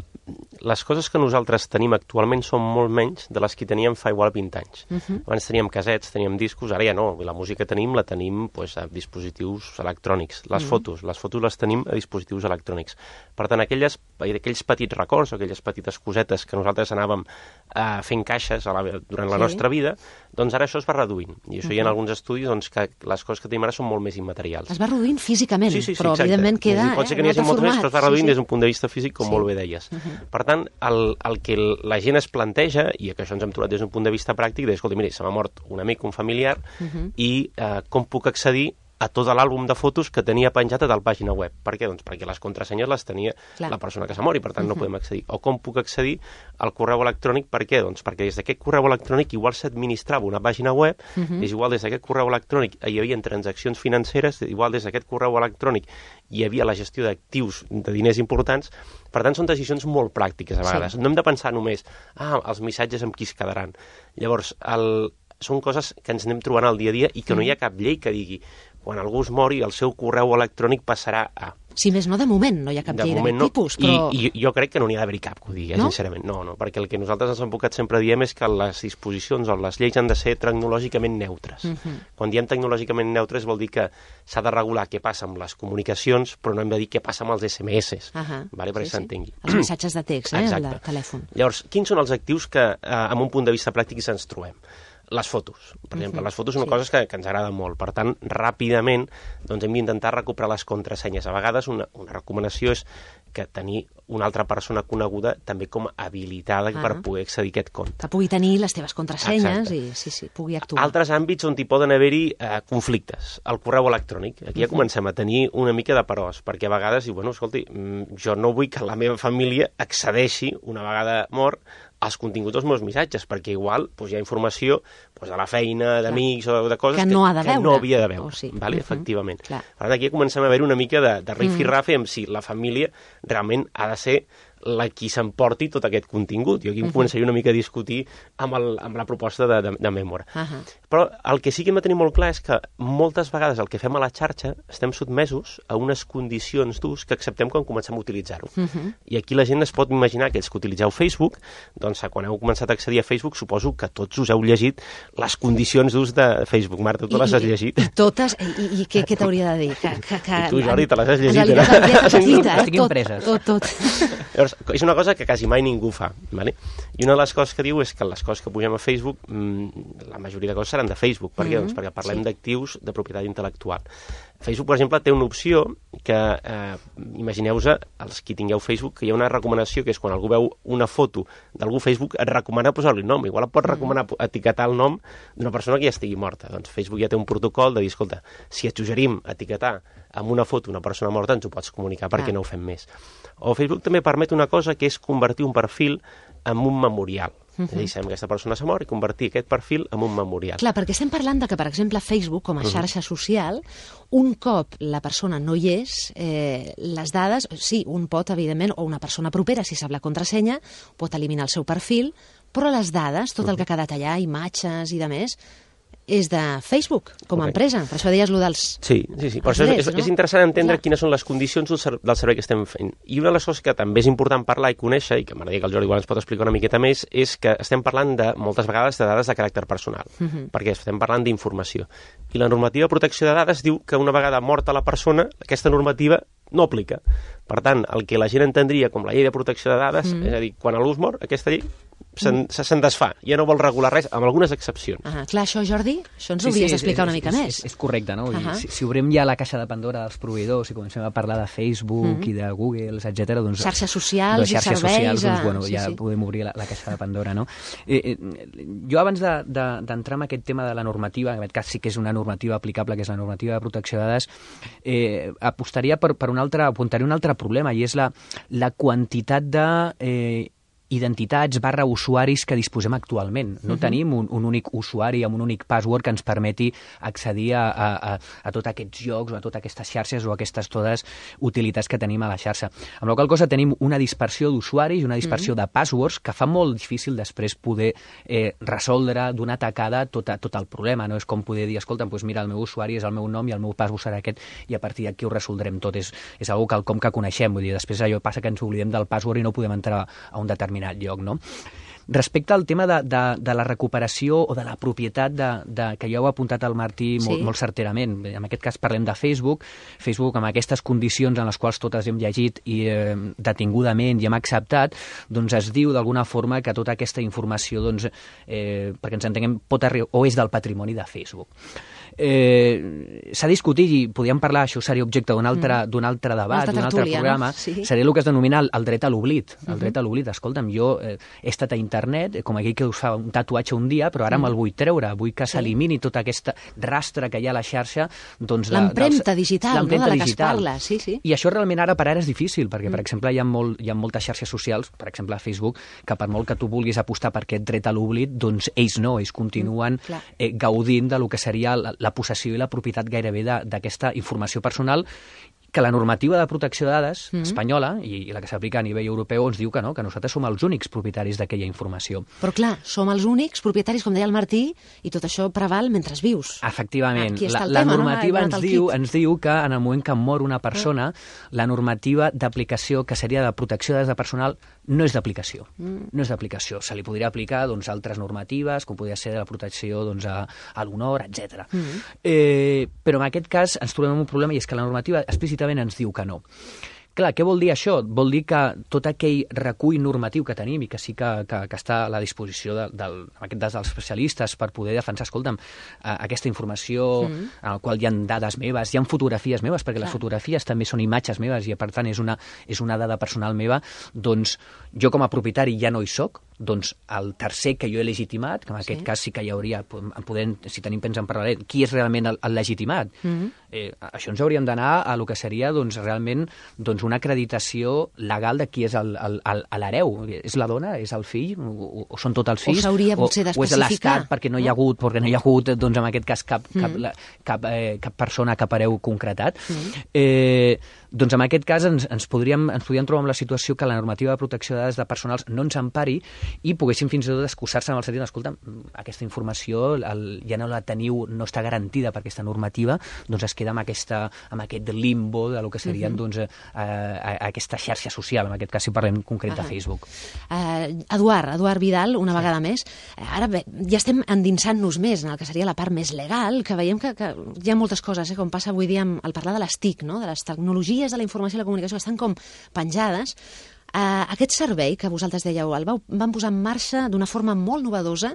les coses que nosaltres tenim actualment són molt menys de les que teníem fa igual vint anys. Uh-huh. Abans teníem casets, teníem discos, ara ja no. La música tenim, la tenim pues, a dispositius electrònics. Les uh-huh. fotos, les fotos les tenim a dispositius electrònics. Per tant, aquelles, aquells petits records o aquelles petites cosetes que nosaltres anàvem eh, fent caixes a la, durant la sí. nostra vida, doncs ara això es va reduint. I això uh-huh. hi ha alguns estudis doncs, que les coses que tenim ara són molt més immaterials. Es va reduint físicament, sí, sí, sí, però exacte. evidentment queda dir, pot ser que eh, n'hi hagi molt més, però es va reduint sí, sí. des d'un punt de vista físic, com sí. molt bé deies. Uh-huh. Per tant, el, el que la gent es planteja, i que això ens hem trobat des d'un punt de vista pràctic, és, escolta, mira, se m'ha mort un amic, un familiar, uh-huh. i eh, com puc accedir a tot l'àlbum de fotos que tenia penjat a tal pàgina web. Per què? Doncs perquè les contrasenyes les tenia Clar. la persona que s'ha mort i per tant no podem accedir. O com puc accedir al correu electrònic? Per què? Doncs perquè des d'aquest correu electrònic igual s'administrava una pàgina web, uh -huh. és igual des d'aquest correu electrònic hi havia transaccions financeres, igual des d'aquest correu electrònic hi havia la gestió d'actius de diners importants. Per tant, són decisions molt pràctiques a vegades. Sí. No hem de pensar només, ah, els missatges amb qui es quedaran. Llavors, el... són coses que ens anem trobant al dia a dia i que mm. no hi ha cap llei que digui quan algú es mori el seu correu electrònic passarà a... Si més no, de moment no hi ha cap de llei d'aquest no. tipus, però... I, I jo crec que no n'hi ha d'haver cap que ho digui, no? sincerament. No, no, perquè el que nosaltres els advocats sempre diem és que les disposicions o les lleis han de ser tecnològicament neutres. Uh-huh. Quan diem tecnològicament neutres vol dir que s'ha de regular què passa amb les comunicacions, però no hem de dir què passa amb els esse eme esse, uh-huh. vale? perquè sí, s'entengui. Sí. Els missatges de text, eh, el telèfon. Llavors, quins són els actius que, eh, amb un punt de vista pràctic, ens trobem? Les fotos. Per exemple, uh-huh. les fotos són sí. coses que, que ens agraden molt. Per tant, ràpidament doncs, hem d'intentar recuperar les contrasenyes. A vegades una, una recomanació és que tenir una altra persona coneguda també com habilitada uh-huh. per poder accedir a aquest compte. Que pugui tenir les teves contrasenyes Exacte. i sí, sí, pugui actuar. Altres àmbits on hi poden haver-hi eh, conflictes. El correu electrònic. Aquí ja uh-huh. comencem a tenir una mica de peròs, perquè a vegades diu, bueno, escolti, jo no vull que la meva família accedeixi, una vegada mort, als continguts dels meus missatges, perquè igual doncs, hi ha informació doncs, de la feina, d'amics o de coses que no, ha de que, que no havia de veure. Oh, sí. vale? uh-huh. Efectivament. Clar. Per tant, aquí comencem a veure una mica de, de rifirrafe amb si la família realment ha de ser la qui s'emporti tot aquest contingut. Jo aquí uh-huh. començaria una mica a discutir amb, el, amb la proposta de, de, de Memora. Uh-huh. Però el que sí que hem de tenir molt clar és que moltes vegades el que fem a la xarxa estem sotmesos a unes condicions d'ús que acceptem quan comencem a utilitzar-ho. Uh-huh. I aquí la gent es pot imaginar que els que utilitzeu Facebook, doncs quan heu començat a accedir a Facebook suposo que tots us heu llegit les condicions d'ús de Facebook. Marta, tu I, les has llegit? I totes, i, i què, què t'hauria de dir? Que, que, que, I tu, Jordi, te les has llegit? En realitat, eh? tot, tot, tot. Llavors, és una cosa que quasi mai ningú fa, ¿vale? I una de les coses que diu és que les coses que pugem a Facebook, mmm, la majoria de coses seran de Facebook. Per què? Mm-hmm. Doncs perquè parlem sí. d'actius de propietat intel·lectual. Facebook, per exemple, té una opció que, eh, imagineu-vos, els qui tingueu Facebook, que hi ha una recomanació que és quan algú veu una foto d'algú a Facebook, et recomana posar-li nom. Igual et pot recomanar etiquetar el nom d'una persona que ja estigui morta. Doncs Facebook ja té un protocol de dir, escolta, si et suggerim etiquetar amb una foto una persona morta, ens ho pots comunicar perquè ah. no ho fem més. O Facebook també permet una cosa que és convertir un perfil en un memorial. Uh-huh. És a dir, sabem que aquesta persona s'ha mort i convertir aquest perfil en un memorial. Clar, perquè estem parlant de que, per exemple, Facebook, com a xarxa uh-huh. social, un cop la persona no hi és, eh, les dades, sí, un pot, evidentment, o una persona propera, si sap la contrasenya, pot eliminar el seu perfil, però les dades, tot uh-huh. el que ha quedat allà, imatges i de més, és de Facebook, com a okay. empresa. Per això deies allò dels... Sí, sí, sí. Per això és, és, no? és interessant entendre Clar. quines són les condicions del, ser, del servei que estem fent. I una de les coses que també és important parlar i conèixer, i que m'agradaria que el Jordi igual ens pot explicar una miqueta més, és que estem parlant de, moltes vegades, de dades de caràcter personal, uh-huh. perquè estem parlant d'informació. I la normativa de protecció de dades diu que una vegada morta la persona, aquesta normativa no aplica. Per tant, el que la gent entendria com la llei de protecció de dades, mm. és a dir, quan algú es mor, aquesta llei se'n mm. se desfà, ja no vol regular res, amb algunes excepcions. Ah, clar, això, Jordi, això ens ho sí, hauries sí, d'explicar una és, mica és, més. És, és correcte, no? Uh -huh. si, si obrem ja la caixa de Pandora dels proveïdors i comencem a parlar de Facebook mm -hmm. i de Google, etcètera, doncs... Xarxes socials i serveis... Socials, doncs, bueno, sí, ja sí. podem obrir la, la caixa de Pandora, no? Eh, eh, jo, abans d'entrar de, de, en aquest tema de la normativa, en aquest cas sí que és una normativa aplicable, que és la normativa de protecció de dades, eh, apostaria per, per un altre, apuntaria un altre problema, i és la, la quantitat de... Eh, identitats barra usuaris que disposem actualment. No uh-huh. tenim un, un únic usuari amb un únic password que ens permeti accedir a, a, a, a tots aquests llocs o a totes aquestes xarxes o a aquestes totes utilitats que tenim a la xarxa. Amb la qual cosa tenim una dispersió d'usuaris i una dispersió uh-huh. de passwords que fa molt difícil després poder eh, resoldre d'una tacada tot, a, tot el problema. No és com poder dir, escolta, doncs mira, el meu usuari és el meu nom i el meu password serà aquest i a partir d'aquí ho resoldrem tot. És, és algo que, com que coneixem. Vull dir, després allò passa que ens oblidem del password i no podem entrar a un determinat lloc, no? Respecte al tema de, de, de la recuperació o de la propietat de, de, que ja ho ha apuntat el Martí molt, sí. molt certerament. En aquest cas parlem de Facebook. Facebook, amb aquestes condicions en les quals totes hem llegit i eh, detingudament i hem acceptat, doncs es diu d'alguna forma que tota aquesta informació, doncs, eh, perquè ens entenguem, pot arribar o és del patrimoni de Facebook. Eh, s'ha discutit i podríem parlar, això seria objecte d'un altre, mm. d'un altre debat, d'un altre programa, no? Sí. Seria el que es denomina el, el dret a l'oblit. El uh-huh. dret a l'oblit. Escolta'm, jo eh, he estat a internet internet, com aquell que us fa un tatuatge un dia, però ara mm. me'l vull treure, vull que s'elimini sí. tot aquest rastre que hi ha a la xarxa. Doncs l'empremta digital, no? De la que es parla. Sí, sí. I això realment ara per ara és difícil, perquè, mm. per exemple, hi ha, molt, hi ha moltes xarxes socials, per exemple, a Facebook, que per molt que tu vulguis apostar per aquest dret a l'oblit, doncs ells no, ells continuen mm, eh, gaudint de lo que seria la, la possessió i la propietat gairebé d'aquesta informació personal, que la normativa de protecció de dades mm-hmm. espanyola i, i la que s'aplica a nivell europeu ens diu que no, que nosaltres som els únics propietaris d'aquella informació. Però clar, som els únics propietaris, com deia el Martí, i tot això preval mentre vius. Efectivament. La, la tema, normativa no? ens, diu, ens diu que en el moment que mor una persona, mm. la normativa d'aplicació, que seria de protecció de dades personal, no és d'aplicació. Mm. No és d'aplicació. Se li podria aplicar doncs, altres normatives, com podria ser de la protecció doncs, a, a l'honor, etcètera. Mm. Eh, però en aquest cas ens trobem un problema, i és que la normativa explícitament ens diu que no. Clar, què vol dir això? Vol dir que tot aquell recull normatiu que tenim i que sí que, que, que està a la disposició de, del, dels especialistes per poder defensar, escolta'm, aquesta informació mm. en la qual hi ha dades meves, hi ha fotografies meves, perquè Clar. les fotografies també són imatges meves i, per tant, és una, és una dada personal meva, doncs jo com a propietari ja no hi soc, doncs el tercer que jo he legitimat, que en aquest sí. cas sí que hi hauria, podem, si tenim temps en parlaré, qui és realment el, el legitimat? Mm-hmm. eh, això ens hauríem d'anar a lo que seria doncs, realment doncs, una acreditació legal de qui és l'hereu. És la dona? És el fill? O, o són tots els fills? O s'hauria potser d'especificar. O és l'estat, perquè no hi ha hagut, perquè no hi ha hagut doncs, en aquest cas cap, cap, mm. cap, eh, cap persona, cap hereu concretat. Mm. Eh, doncs en aquest cas ens, ens, podríem, ens podríem trobar amb la situació que la normativa de protecció de dades de personals no ens empari i poguéssim fins i tot excusar-se en el sentit, escolta, aquesta informació el, ja no la teniu, no està garantida per aquesta normativa, doncs es queda amb, aquesta, amb aquest limbo de lo que serien mm-hmm. doncs, eh, aquesta xarxa social, en aquest cas si parlem concret de Facebook. Uh, Eduard, Eduard Vidal, una sí. vegada més, ara bé, ja estem endinsant-nos més en el que seria la part més legal, que veiem que, que hi ha moltes coses, eh, com passa avui dia amb, al parlar de les T I C, no? De les tecnologies de la informació i la comunicació, que estan com penjades. Uh, aquest servei que vosaltres dèieu, el vau, van posar en marxa d'una forma molt novedosa,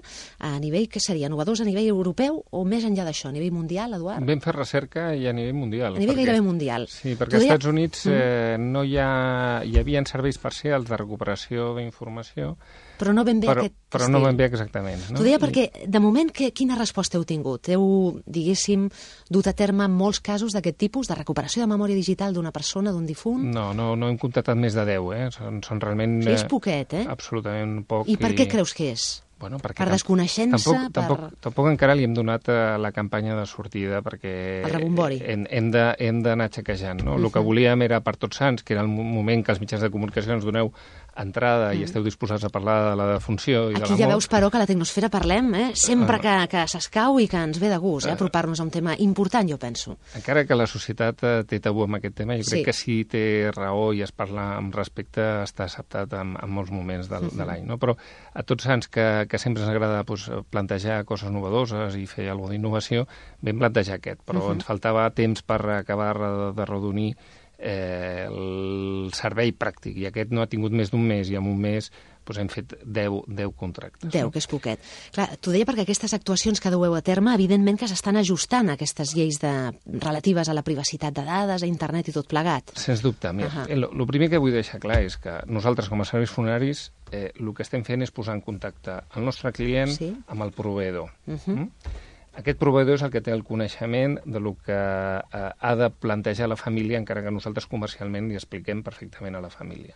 a nivell, què seria, novedosa a nivell europeu o més enllà d'això, a nivell mundial, Eduard? Vam fer recerca i a nivell mundial. A nivell perquè, gairebé mundial. Sí, perquè als Estats Units eh, no hi ha, hi havia serveis parcials de recuperació d'informació, però no ben bé però, aquest però estil. no ben bé exactament. No? T'ho deia perquè, de moment, que, quina resposta heu tingut? Heu, diguéssim, dut a terme molts casos d'aquest tipus, de recuperació de memòria digital d'una persona, d'un difunt? No, no, no hem contactat més de deu, eh? Són, són realment... Sí, és poquet, eh? Absolutament poc. I per què creus que és? Bueno, per desconeixença? Tampoc, per... tampoc, tampoc encara li hem donat la campanya de sortida perquè el rebombori. hem, hem d'anar xequejant. No? Uh-huh. El que volíem era per Tots Sants, que era el moment que els mitjans de comunicació ens doneu entrada uh-huh. i esteu disposats a parlar de la defunció i Aquí de la mort. Ja veus, però, que a la Tecnosfera parlem eh? sempre uh, que, que s'escau i que ens ve de gust, eh? apropar-nos a un tema important, jo penso. Encara que la societat té tabú amb aquest tema, jo crec sí. que sí té raó i es parla amb respecte, està acceptat en, en molts moments de, uh-huh. de l'any. No? Però a Tots Sants, que, que sempre ens agrada pues, plantejar coses novedoses i fer alguna d'innovació, vam plantejar aquest, però uh-huh. ens faltava temps per acabar de, de redonir eh, el servei pràctic, i aquest no ha tingut més d'un mes, i en un mes pues, hem fet deu, deu contractes. deu, no? Que és poquet. Clar, t'ho deia perquè aquestes actuacions que dueu a terme, evidentment que s'estan ajustant a aquestes lleis de, relatives a la privacitat de dades, a internet i tot plegat. Sens dubte. Mira, uh-huh. el, el primer que vull deixar clar és que nosaltres, com a serveis funeraris, eh, el que estem fent és posar en contacte el nostre client sí? amb el proveïdor. Uh-huh. mm? Aquest proveïdor és el que té el coneixement de lo que eh, ha de plantejar la família, encara que nosaltres comercialment li expliquem perfectament a la família.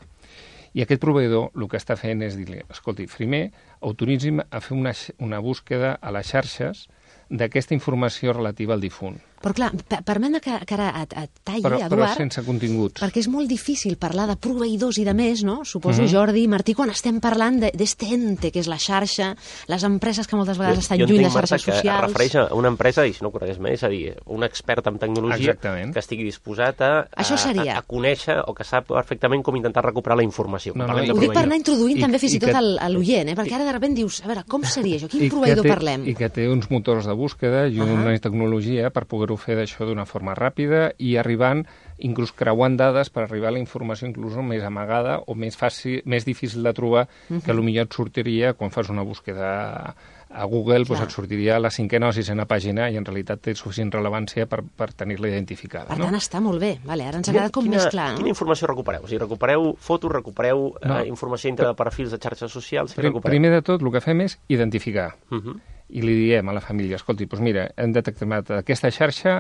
I aquest proveïdor el que està fent és dir-li, escolti, primer autoritzim a fer una, una búsqueda a les xarxes d'aquesta informació relativa al difunt. Però clar, permet-me que, que ara et, et talli, però, Eduard... Però sense continguts. Perquè és molt difícil parlar de proveïdors i de més, no? Suposo, uh-huh. Jordi, Martí, quan estem parlant d'este ente, que és la xarxa, les empreses que moltes vegades jo, estan jo lluny de xarxes socials... Jo entenc, Marta, que es refereix a una empresa, i si no ho conegués més, és a dir, un expert en tecnologia Exactament. que estigui disposat a, a, a, a conèixer o que sap perfectament com intentar recuperar la informació. No, no, ho dic per anar introduint I, també fins i tot que, l'oient, eh? Perquè ara de sobte dius, a veure, com seria això? Quin proveïdor té, parlem? I que té uns motors de búsqueda i uh-huh. una tecnologia per poder poder-ho fer d'això d'una forma ràpida i arribant, inclús creuant dades per arribar a la informació inclús més amagada o més fàcil, més difícil de trobar, uh-huh. que potser et sortiria quan fas una búsqueda a Google, doncs et sortiria la cinquena o sisena pàgina i en realitat té suficient rellevància per, per tenir-la identificada. Per no? tant, està molt bé. Vale, ara ens ha quedat com quina, més clar. No? Quina informació recupereu? O sigui, recupereu fotos, recupereu no. eh, informació dintre de perfils de xarxes socials? Prim, primer de tot, el que fem és identificar. Uh-huh. I li diem a la família, escolti, doncs mira, hem detectat aquesta xarxa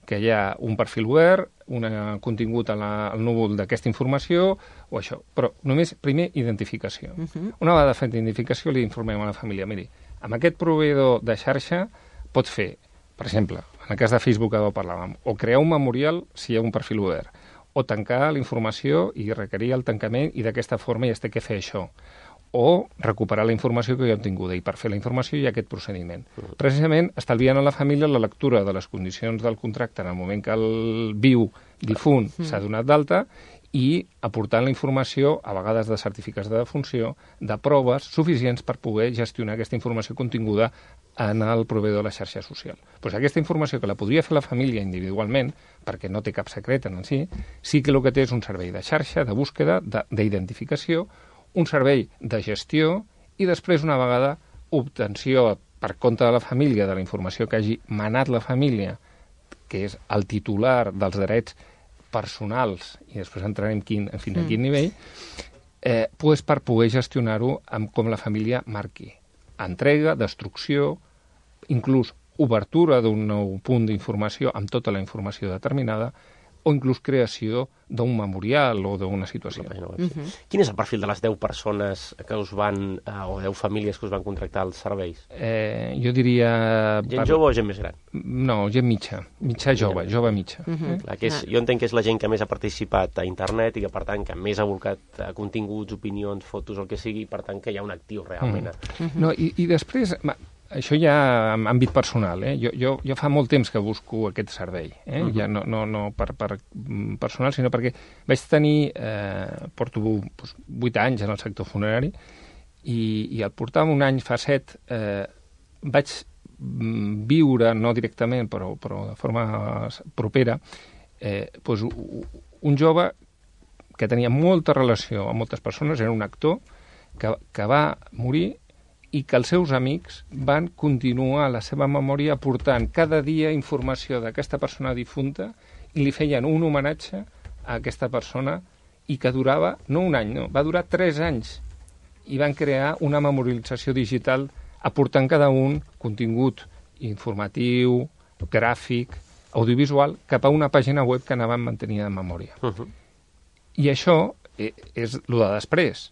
que hi ha un perfil obert, un contingut a la, al núvol d'aquesta informació o això. Però només, primer, identificació. Uh-huh. Una vegada fet identificació, li informem a la família, miri, amb aquest proveïdor de xarxa pot fer, per exemple, en el cas de Facebook que parlàvem, o crear un memorial si hi ha un perfil obert, o tancar la informació i requerir el tancament i d'aquesta forma ja es té que fer això. O recuperar la informació que ja ha obtinguda. I per fer la informació hi ha aquest procediment. Uh-huh. Precisament, estalviant a la família la lectura de les condicions del contracte en el moment que el viu difunt uh-huh. s'ha donat d'alta i aportant la informació, a vegades de certificats de defunció, de proves suficients per poder gestionar aquesta informació continguda en el proveïdor de la xarxa social. Pues aquesta informació que la podria fer la família individualment, perquè no té cap secret en si, sí que el que té és un servei de xarxa, de búsqueda, d'identificació, un servei de gestió i després, una vegada, obtenció per compte de la família de la informació que hagi manat la família, que és el titular dels drets personals, i després entrarem quin, fins a quin mm. nivell, eh, pues per poder gestionar-ho amb com la família marqui. Entrega, destrucció, inclús obertura d'un nou punt d'informació amb tota la informació determinada, o inclús creació d'un memorial o d'una situació. Uh-huh. Quin és el perfil de les deu persones que us van, eh, o deu famílies que us van contractar els serveis? Eh, jo diria... Gent per... jove o gent més gran? No, gent mitja, mitja jove, jove mitja. Uh-huh. Clar, que és, jo entenc que és la gent que més ha participat a internet i que, per tant, que més ha volcat a continguts, opinions, fotos, el que sigui, per tant, que hi ha un actiu realment. Uh-huh. Uh-huh. No, i, i després... Ma... Això ja en àmbit personal, eh? Jo, jo, jo fa molt temps que busco aquest servei, eh? Uh-huh. Ja no, no, no per, per personal, sinó perquè vaig tenir, eh, porto doncs, vuit anys en el sector funerari i, i al portar un any fa set eh, vaig viure, no directament, però, però de forma propera, eh, doncs, un jove que tenia molta relació amb moltes persones, era un actor que, que va morir i que els seus amics van continuar la seva memòria aportant cada dia informació d'aquesta persona difunta i li feien un homenatge a aquesta persona i que durava, no un any, no, va durar tres anys i van crear una memorialització digital aportant cada un contingut informatiu, gràfic, audiovisual cap a una pàgina web que anaven mantenint en memòria. Uh-huh. I això és el de després.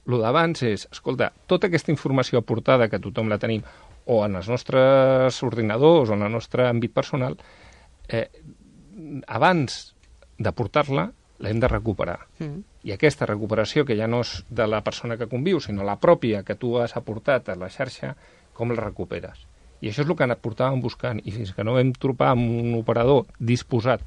El d'abans és, escolta, tota aquesta informació aportada, que tothom la tenim, o en els nostres ordinadors o en el nostre àmbit personal, eh, abans d'aportar-la, l'hem de recuperar. Mm. I aquesta recuperació, que ja no és de la persona que conviu, sinó la pròpia que tu has aportat a la xarxa, com la recuperes? I això és el que portàvem buscant, i fins que no vam trobar amb un operador disposat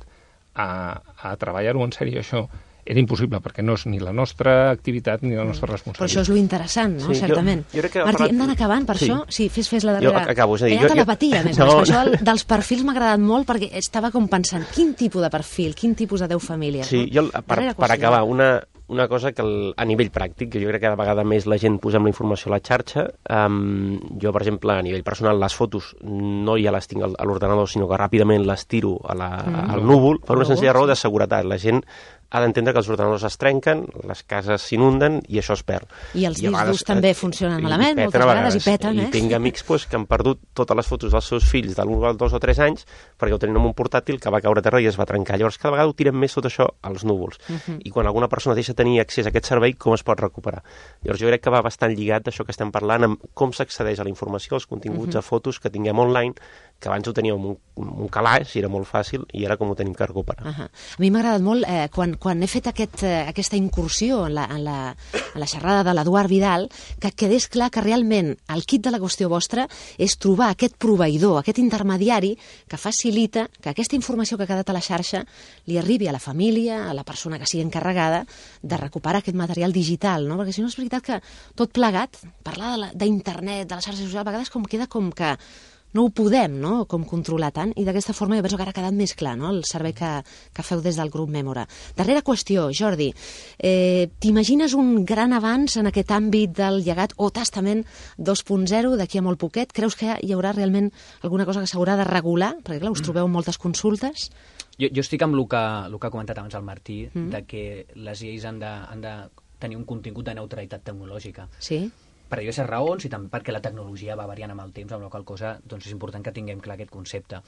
a, a treballar-ho en sèrie, això, era impossible, perquè no és ni la nostra activitat ni la nostra responsabilitat. Però això és lo interessant, no? Sí, certament. Jo, jo crec que Martí, parlat... hem d'anar acabant, per sí. això? Sí, fes, fes la darrera. Jo acabo, és a dir... Hi ha jo, telepatia, jo... més o menys. No. Per això dels perfils m'ha agradat molt, perquè estava com pensant, quin tipus de perfil, quin tipus de deu famílies, sí, no? Jo, per, per acabar, una, una cosa que el, a nivell pràctic, que jo crec que cada vegada més la gent posem la informació a la xarxa, um, jo, per exemple, a nivell personal, les fotos no ja les tinc a l'ordenador, sinó que ràpidament les tiro a la, mm. al núvol, per una senzilla raó de seguretat. La gent ha d'entendre que els ordenadors es trenquen, les cases s'inunden i això es perd. I els discs durs també funcionen malament, moltes vegades, i peten, eh? I tinc amics pues, que han perdut totes les fotos dels seus fills de l'un als dos o tres anys perquè ho tenien en un portàtil que va caure a terra i es va trencar. Llavors, cada vegada ho tirem més tot això als núvols. Uh -huh. I quan alguna persona deixa tenir accés a aquest servei, com es pot recuperar? Llavors, jo crec que va bastant lligat això que estem parlant amb com s'accedeix a la informació, als continguts, uh -huh. a fotos que tinguem online, que abans ho teníem un, un calaix i era molt fàcil, i ara com ho tenim que recuperar. Uh -huh. A mi m'ha agradat molt eh, quan, quan he fet aquest, eh, aquesta incursió en la, en, la, en la xerrada de l'Eduard Vidal, que quedés clar que realment el kit de la qüestió vostra és trobar aquest proveïdor, aquest intermediari que facilita que aquesta informació que ha quedat a la xarxa li arribi a la família, a la persona que sigui encarregada de recuperar aquest material digital, no? Perquè si no és veritat que tot plegat, parlar d'internet, de, de la xarxa social, a vegades com queda com que no ho podem, no?, com controlar tant, i d'aquesta forma jo penso que ara ha quedat més clar, no?, el servei que, que feu des del grup Memora. Darrera qüestió, Jordi, eh, t'imagines un gran avanç en aquest àmbit del llegat o testament dos punt zero d'aquí a molt poquet? Creus que hi haurà realment alguna cosa que s'haurà de regular? Perquè, clar, us trobeu en moltes consultes. Jo, jo estic amb el que, el que ha comentat abans el Martí, Mm. de que les lleis han de, han de tenir un contingut de neutralitat tecnològica. Sí. Per diverses raons i també perquè la tecnologia va variant amb el temps, amb la qual cosa doncs és important que tinguem clar aquest concepte.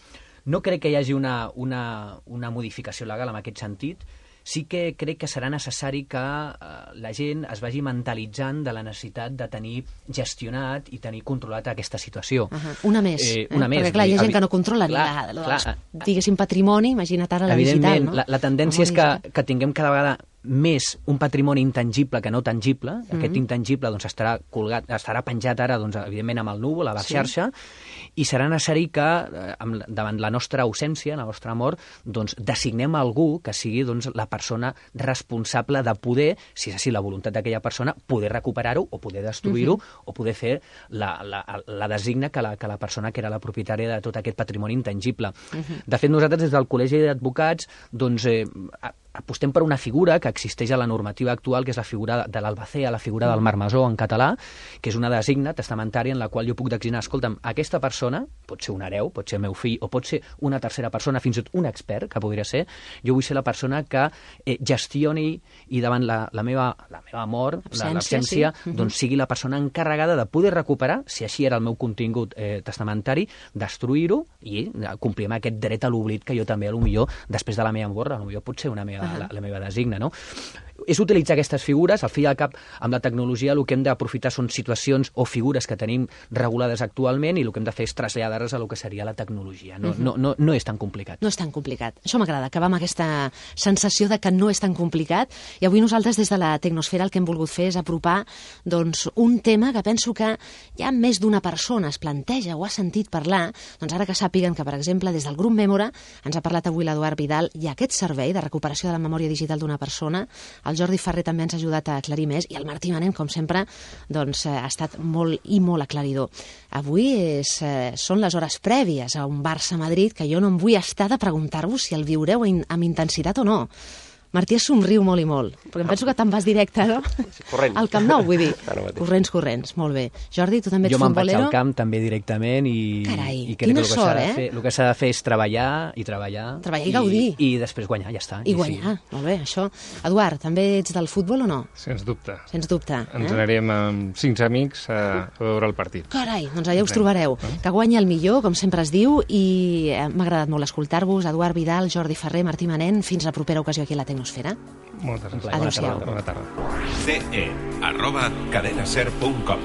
No crec que hi hagi una, una, una modificació legal en aquest sentit. Sí que crec que serà necessari que eh, la gent es vagi mentalitzant de la necessitat de tenir gestionat i tenir controlat aquesta situació. Uh -huh. Una més. Eh, eh? una més. Perquè, clar, hi ha gent Evi- que no controla clar, ni la, clar, la, diguéssim, patrimoni, imagina't ara la digital, Evidentment, no? la, la tendència és que, que tinguem cada vegada més un patrimoni intangible que no tangible. Mm -hmm. Aquest intangible doncs, estarà colgat, estarà penjat ara, doncs, evidentment, amb el núvol, a la Sí. xarxa, i serà necessari que, eh, amb, davant la nostra ausència, la nostra mort, doncs, designem algú que sigui doncs, la persona responsable de poder, si és així la voluntat d'aquella persona, poder recuperar-ho o poder destruir-ho, mm -hmm. o poder fer la, la, la designa que la, que la persona que era la propietària de tot aquest patrimoni intangible. Mm -hmm. De fet, nosaltres, des del Col·legi d'Advocats, doncs, eh, apostem per una figura que existeix a la normativa actual, que és la figura de l'albacea, la figura del marmessor en català, que és una designa testamentària en la qual jo puc designar, escolta'm, aquesta persona, pot ser un hereu, pot ser el meu fill, o pot ser una tercera persona, fins i tot un expert, que podria ser, jo vull ser la persona que eh, gestioni i davant la, la, meva, la meva mort, l'absència, sí. doncs sigui la persona encarregada de poder recuperar, si així era el meu contingut eh, testamentari, destruir-ho i eh, complir amb aquest dret a l'oblit que jo també, a lo millor, després de la meva mort, a lo millor pot ser una meva, uh -huh. la, la meva designa, no? És utilitzar aquestes figures, al fi i al cap, amb la tecnologia el que hem d'aprofitar són situacions o figures que tenim regulades actualment i el que hem de fer és traslladar-les a el que seria la tecnologia. No, uh -huh. no, no, no és tan complicat. No és tan complicat. Això m'agrada, acabar amb aquesta sensació de que no és tan complicat. I avui nosaltres, des de la Tecnosfera, el que hem volgut fer és apropar doncs, un tema que penso que ja més d'una persona es planteja o ha sentit parlar, doncs ara que sàpiguen que, per exemple, des del grup Memora, ens ha parlat avui l'Eduard Vidal, hi ha aquest servei de recuperació de la memòria digital d'una persona. El Jordi Ferrer també ens ha ajudat a aclarir més i el Martí Manent, com sempre, doncs, ha estat molt i molt aclaridor. Avui és, eh, són les hores prèvies a un Barça-Madrid que jo no em vull estar de preguntar-vos si el viureu in, amb intensitat o no. Martí es somriu molt i molt, perquè em penso que te'n vas directe, no? Corrent. Al Camp Nou, vull dir. Ara mateix. Corrents, corrents, molt bé. Jordi, tu també ets Jo me'n vaig futbolero? al camp també directament i, Carai, i crec quina que el que, sort, s'ha de eh? fer, el que s'ha de fer és treballar i treballar. Treballar i gaudir. I, i després guanyar, ja està. I guanyar, sí. Molt bé, això. Eduard, també ets del futbol o no? Sens dubte. Sens dubte. Ens eh? anirem amb cinc amics a, a veure el partit. Carai, doncs allà us trobareu. Que guanyi el millor, com sempre es diu, i eh, m'ha agradat molt escoltar-vos. Eduard Vidal, Jordi Ferrer, Martí Manent, fins la propera ocasió aquí a la Tecnosfera. Moltes gràcies. Adéu-siau. Bona tarda. ce e arroba cadenaser punt com.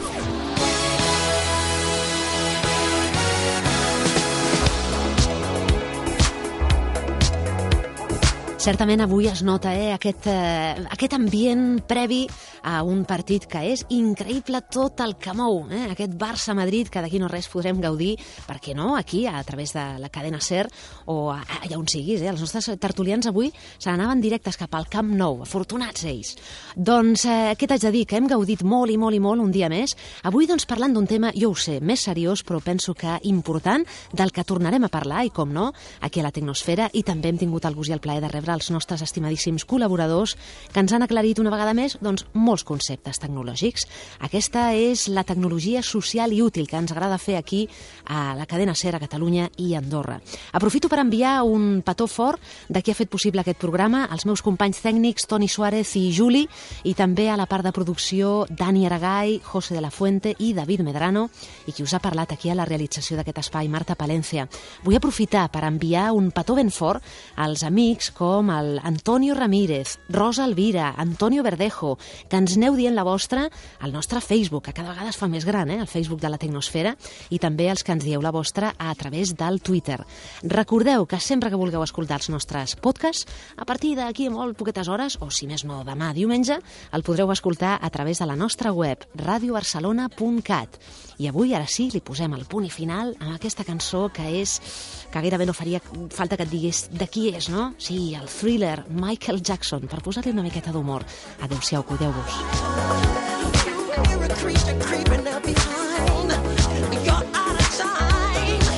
Certament avui es nota eh, aquest, eh, aquest ambient previ a un partit que és increïble tot el que mou. Eh? Aquest Barça-Madrid que d'aquí no res podrem gaudir, per què no, aquí, a través de la cadena SER, o a, allà on siguis. Eh? Els nostres tertulians avui se n'anaven directes cap al Camp Nou, afortunats ells. Doncs eh, què t'haig de dir? Que hem gaudit molt i molt i molt un dia més. Avui doncs parlant d'un tema, jo ho sé, més seriós, però penso que important, del que tornarem a parlar, i com no, aquí a la Tecnosfera, i també hem tingut el gust i el plaer de rebre els nostres estimadíssims col·laboradors que ens han aclarit una vegada més doncs, molts conceptes tecnològics. Aquesta és la tecnologia social i útil que ens agrada fer aquí a la cadena SER a Catalunya i Andorra. Aprofito per enviar un petó fort de qui ha fet possible aquest programa, als meus companys tècnics Toni Suárez i Juli, i també a la part de producció Dani Aragay, José de la Fuente i David Medrano, i qui us ha parlat aquí a la realització d'aquest espai, Marta Palencia. Vull aprofitar per enviar un petó ben fort als amics com el Antonio Ramírez, Rosa Elvira, Antonio Verdejo, que ens aneu dient la vostra al nostre Facebook, que cada vegada es fa més gran, eh? El Facebook de la Tecnosfera, i també els que ens dieu la vostra a través del Twitter. Recordeu que sempre que vulgueu escoltar els nostres podcasts, a partir d'aquí a molt poquetes hores, o si més no demà diumenge, el podreu escoltar a través de la nostra web, radio barcelona punt cat. I avui, ara sí, li posem el punt i final amb aquesta cançó que és, que gairebé no faria falta que et digués de qui és, no? Sí, el Thriller, Michael Jackson, per posar-li una miqueta d'humor. Adéu-siau, cuideu-vos. You're a creature creeping up behind. You're out of time.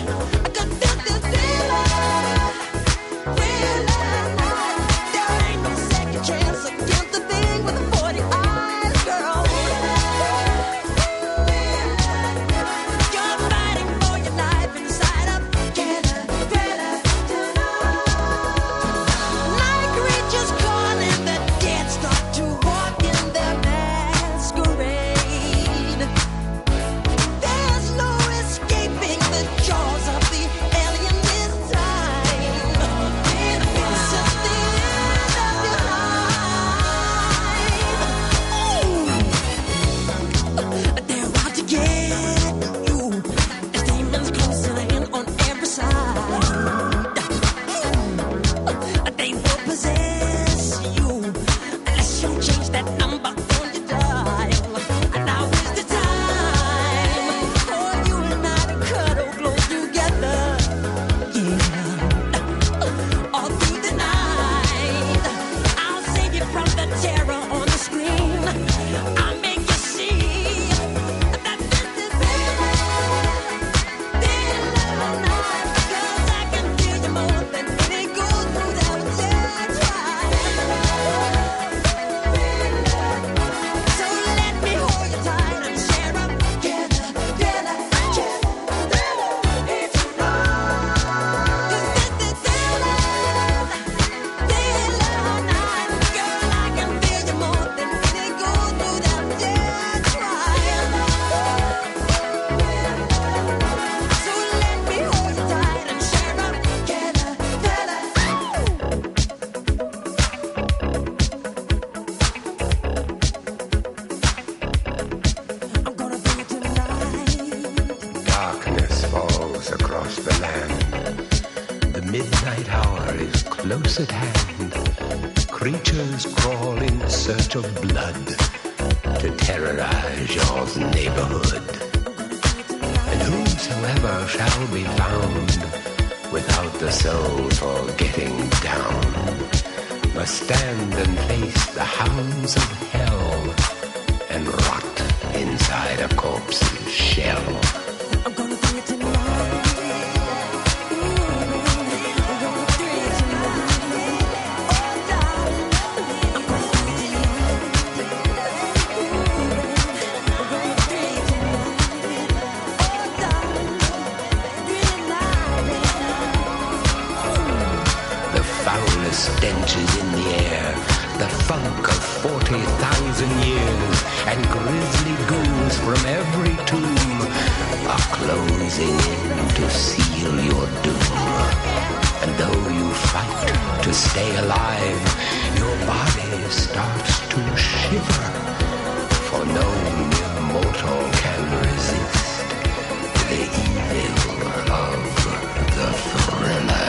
midnight hour is close at hand. Creatures crawl in search of blood to terrorize your neighborhood. And whosoever shall be found without the soul for getting down must stand and face the hounds of hell and rot inside a corpse's shell. I'm gonna do it tonight. Stench is in the air, the funk of forty thousand years, and grisly ghouls from every tomb are closing in to seal your doom. And though you fight to stay alive, your body starts to shiver, for no mere mortal can resist the evil of the thriller.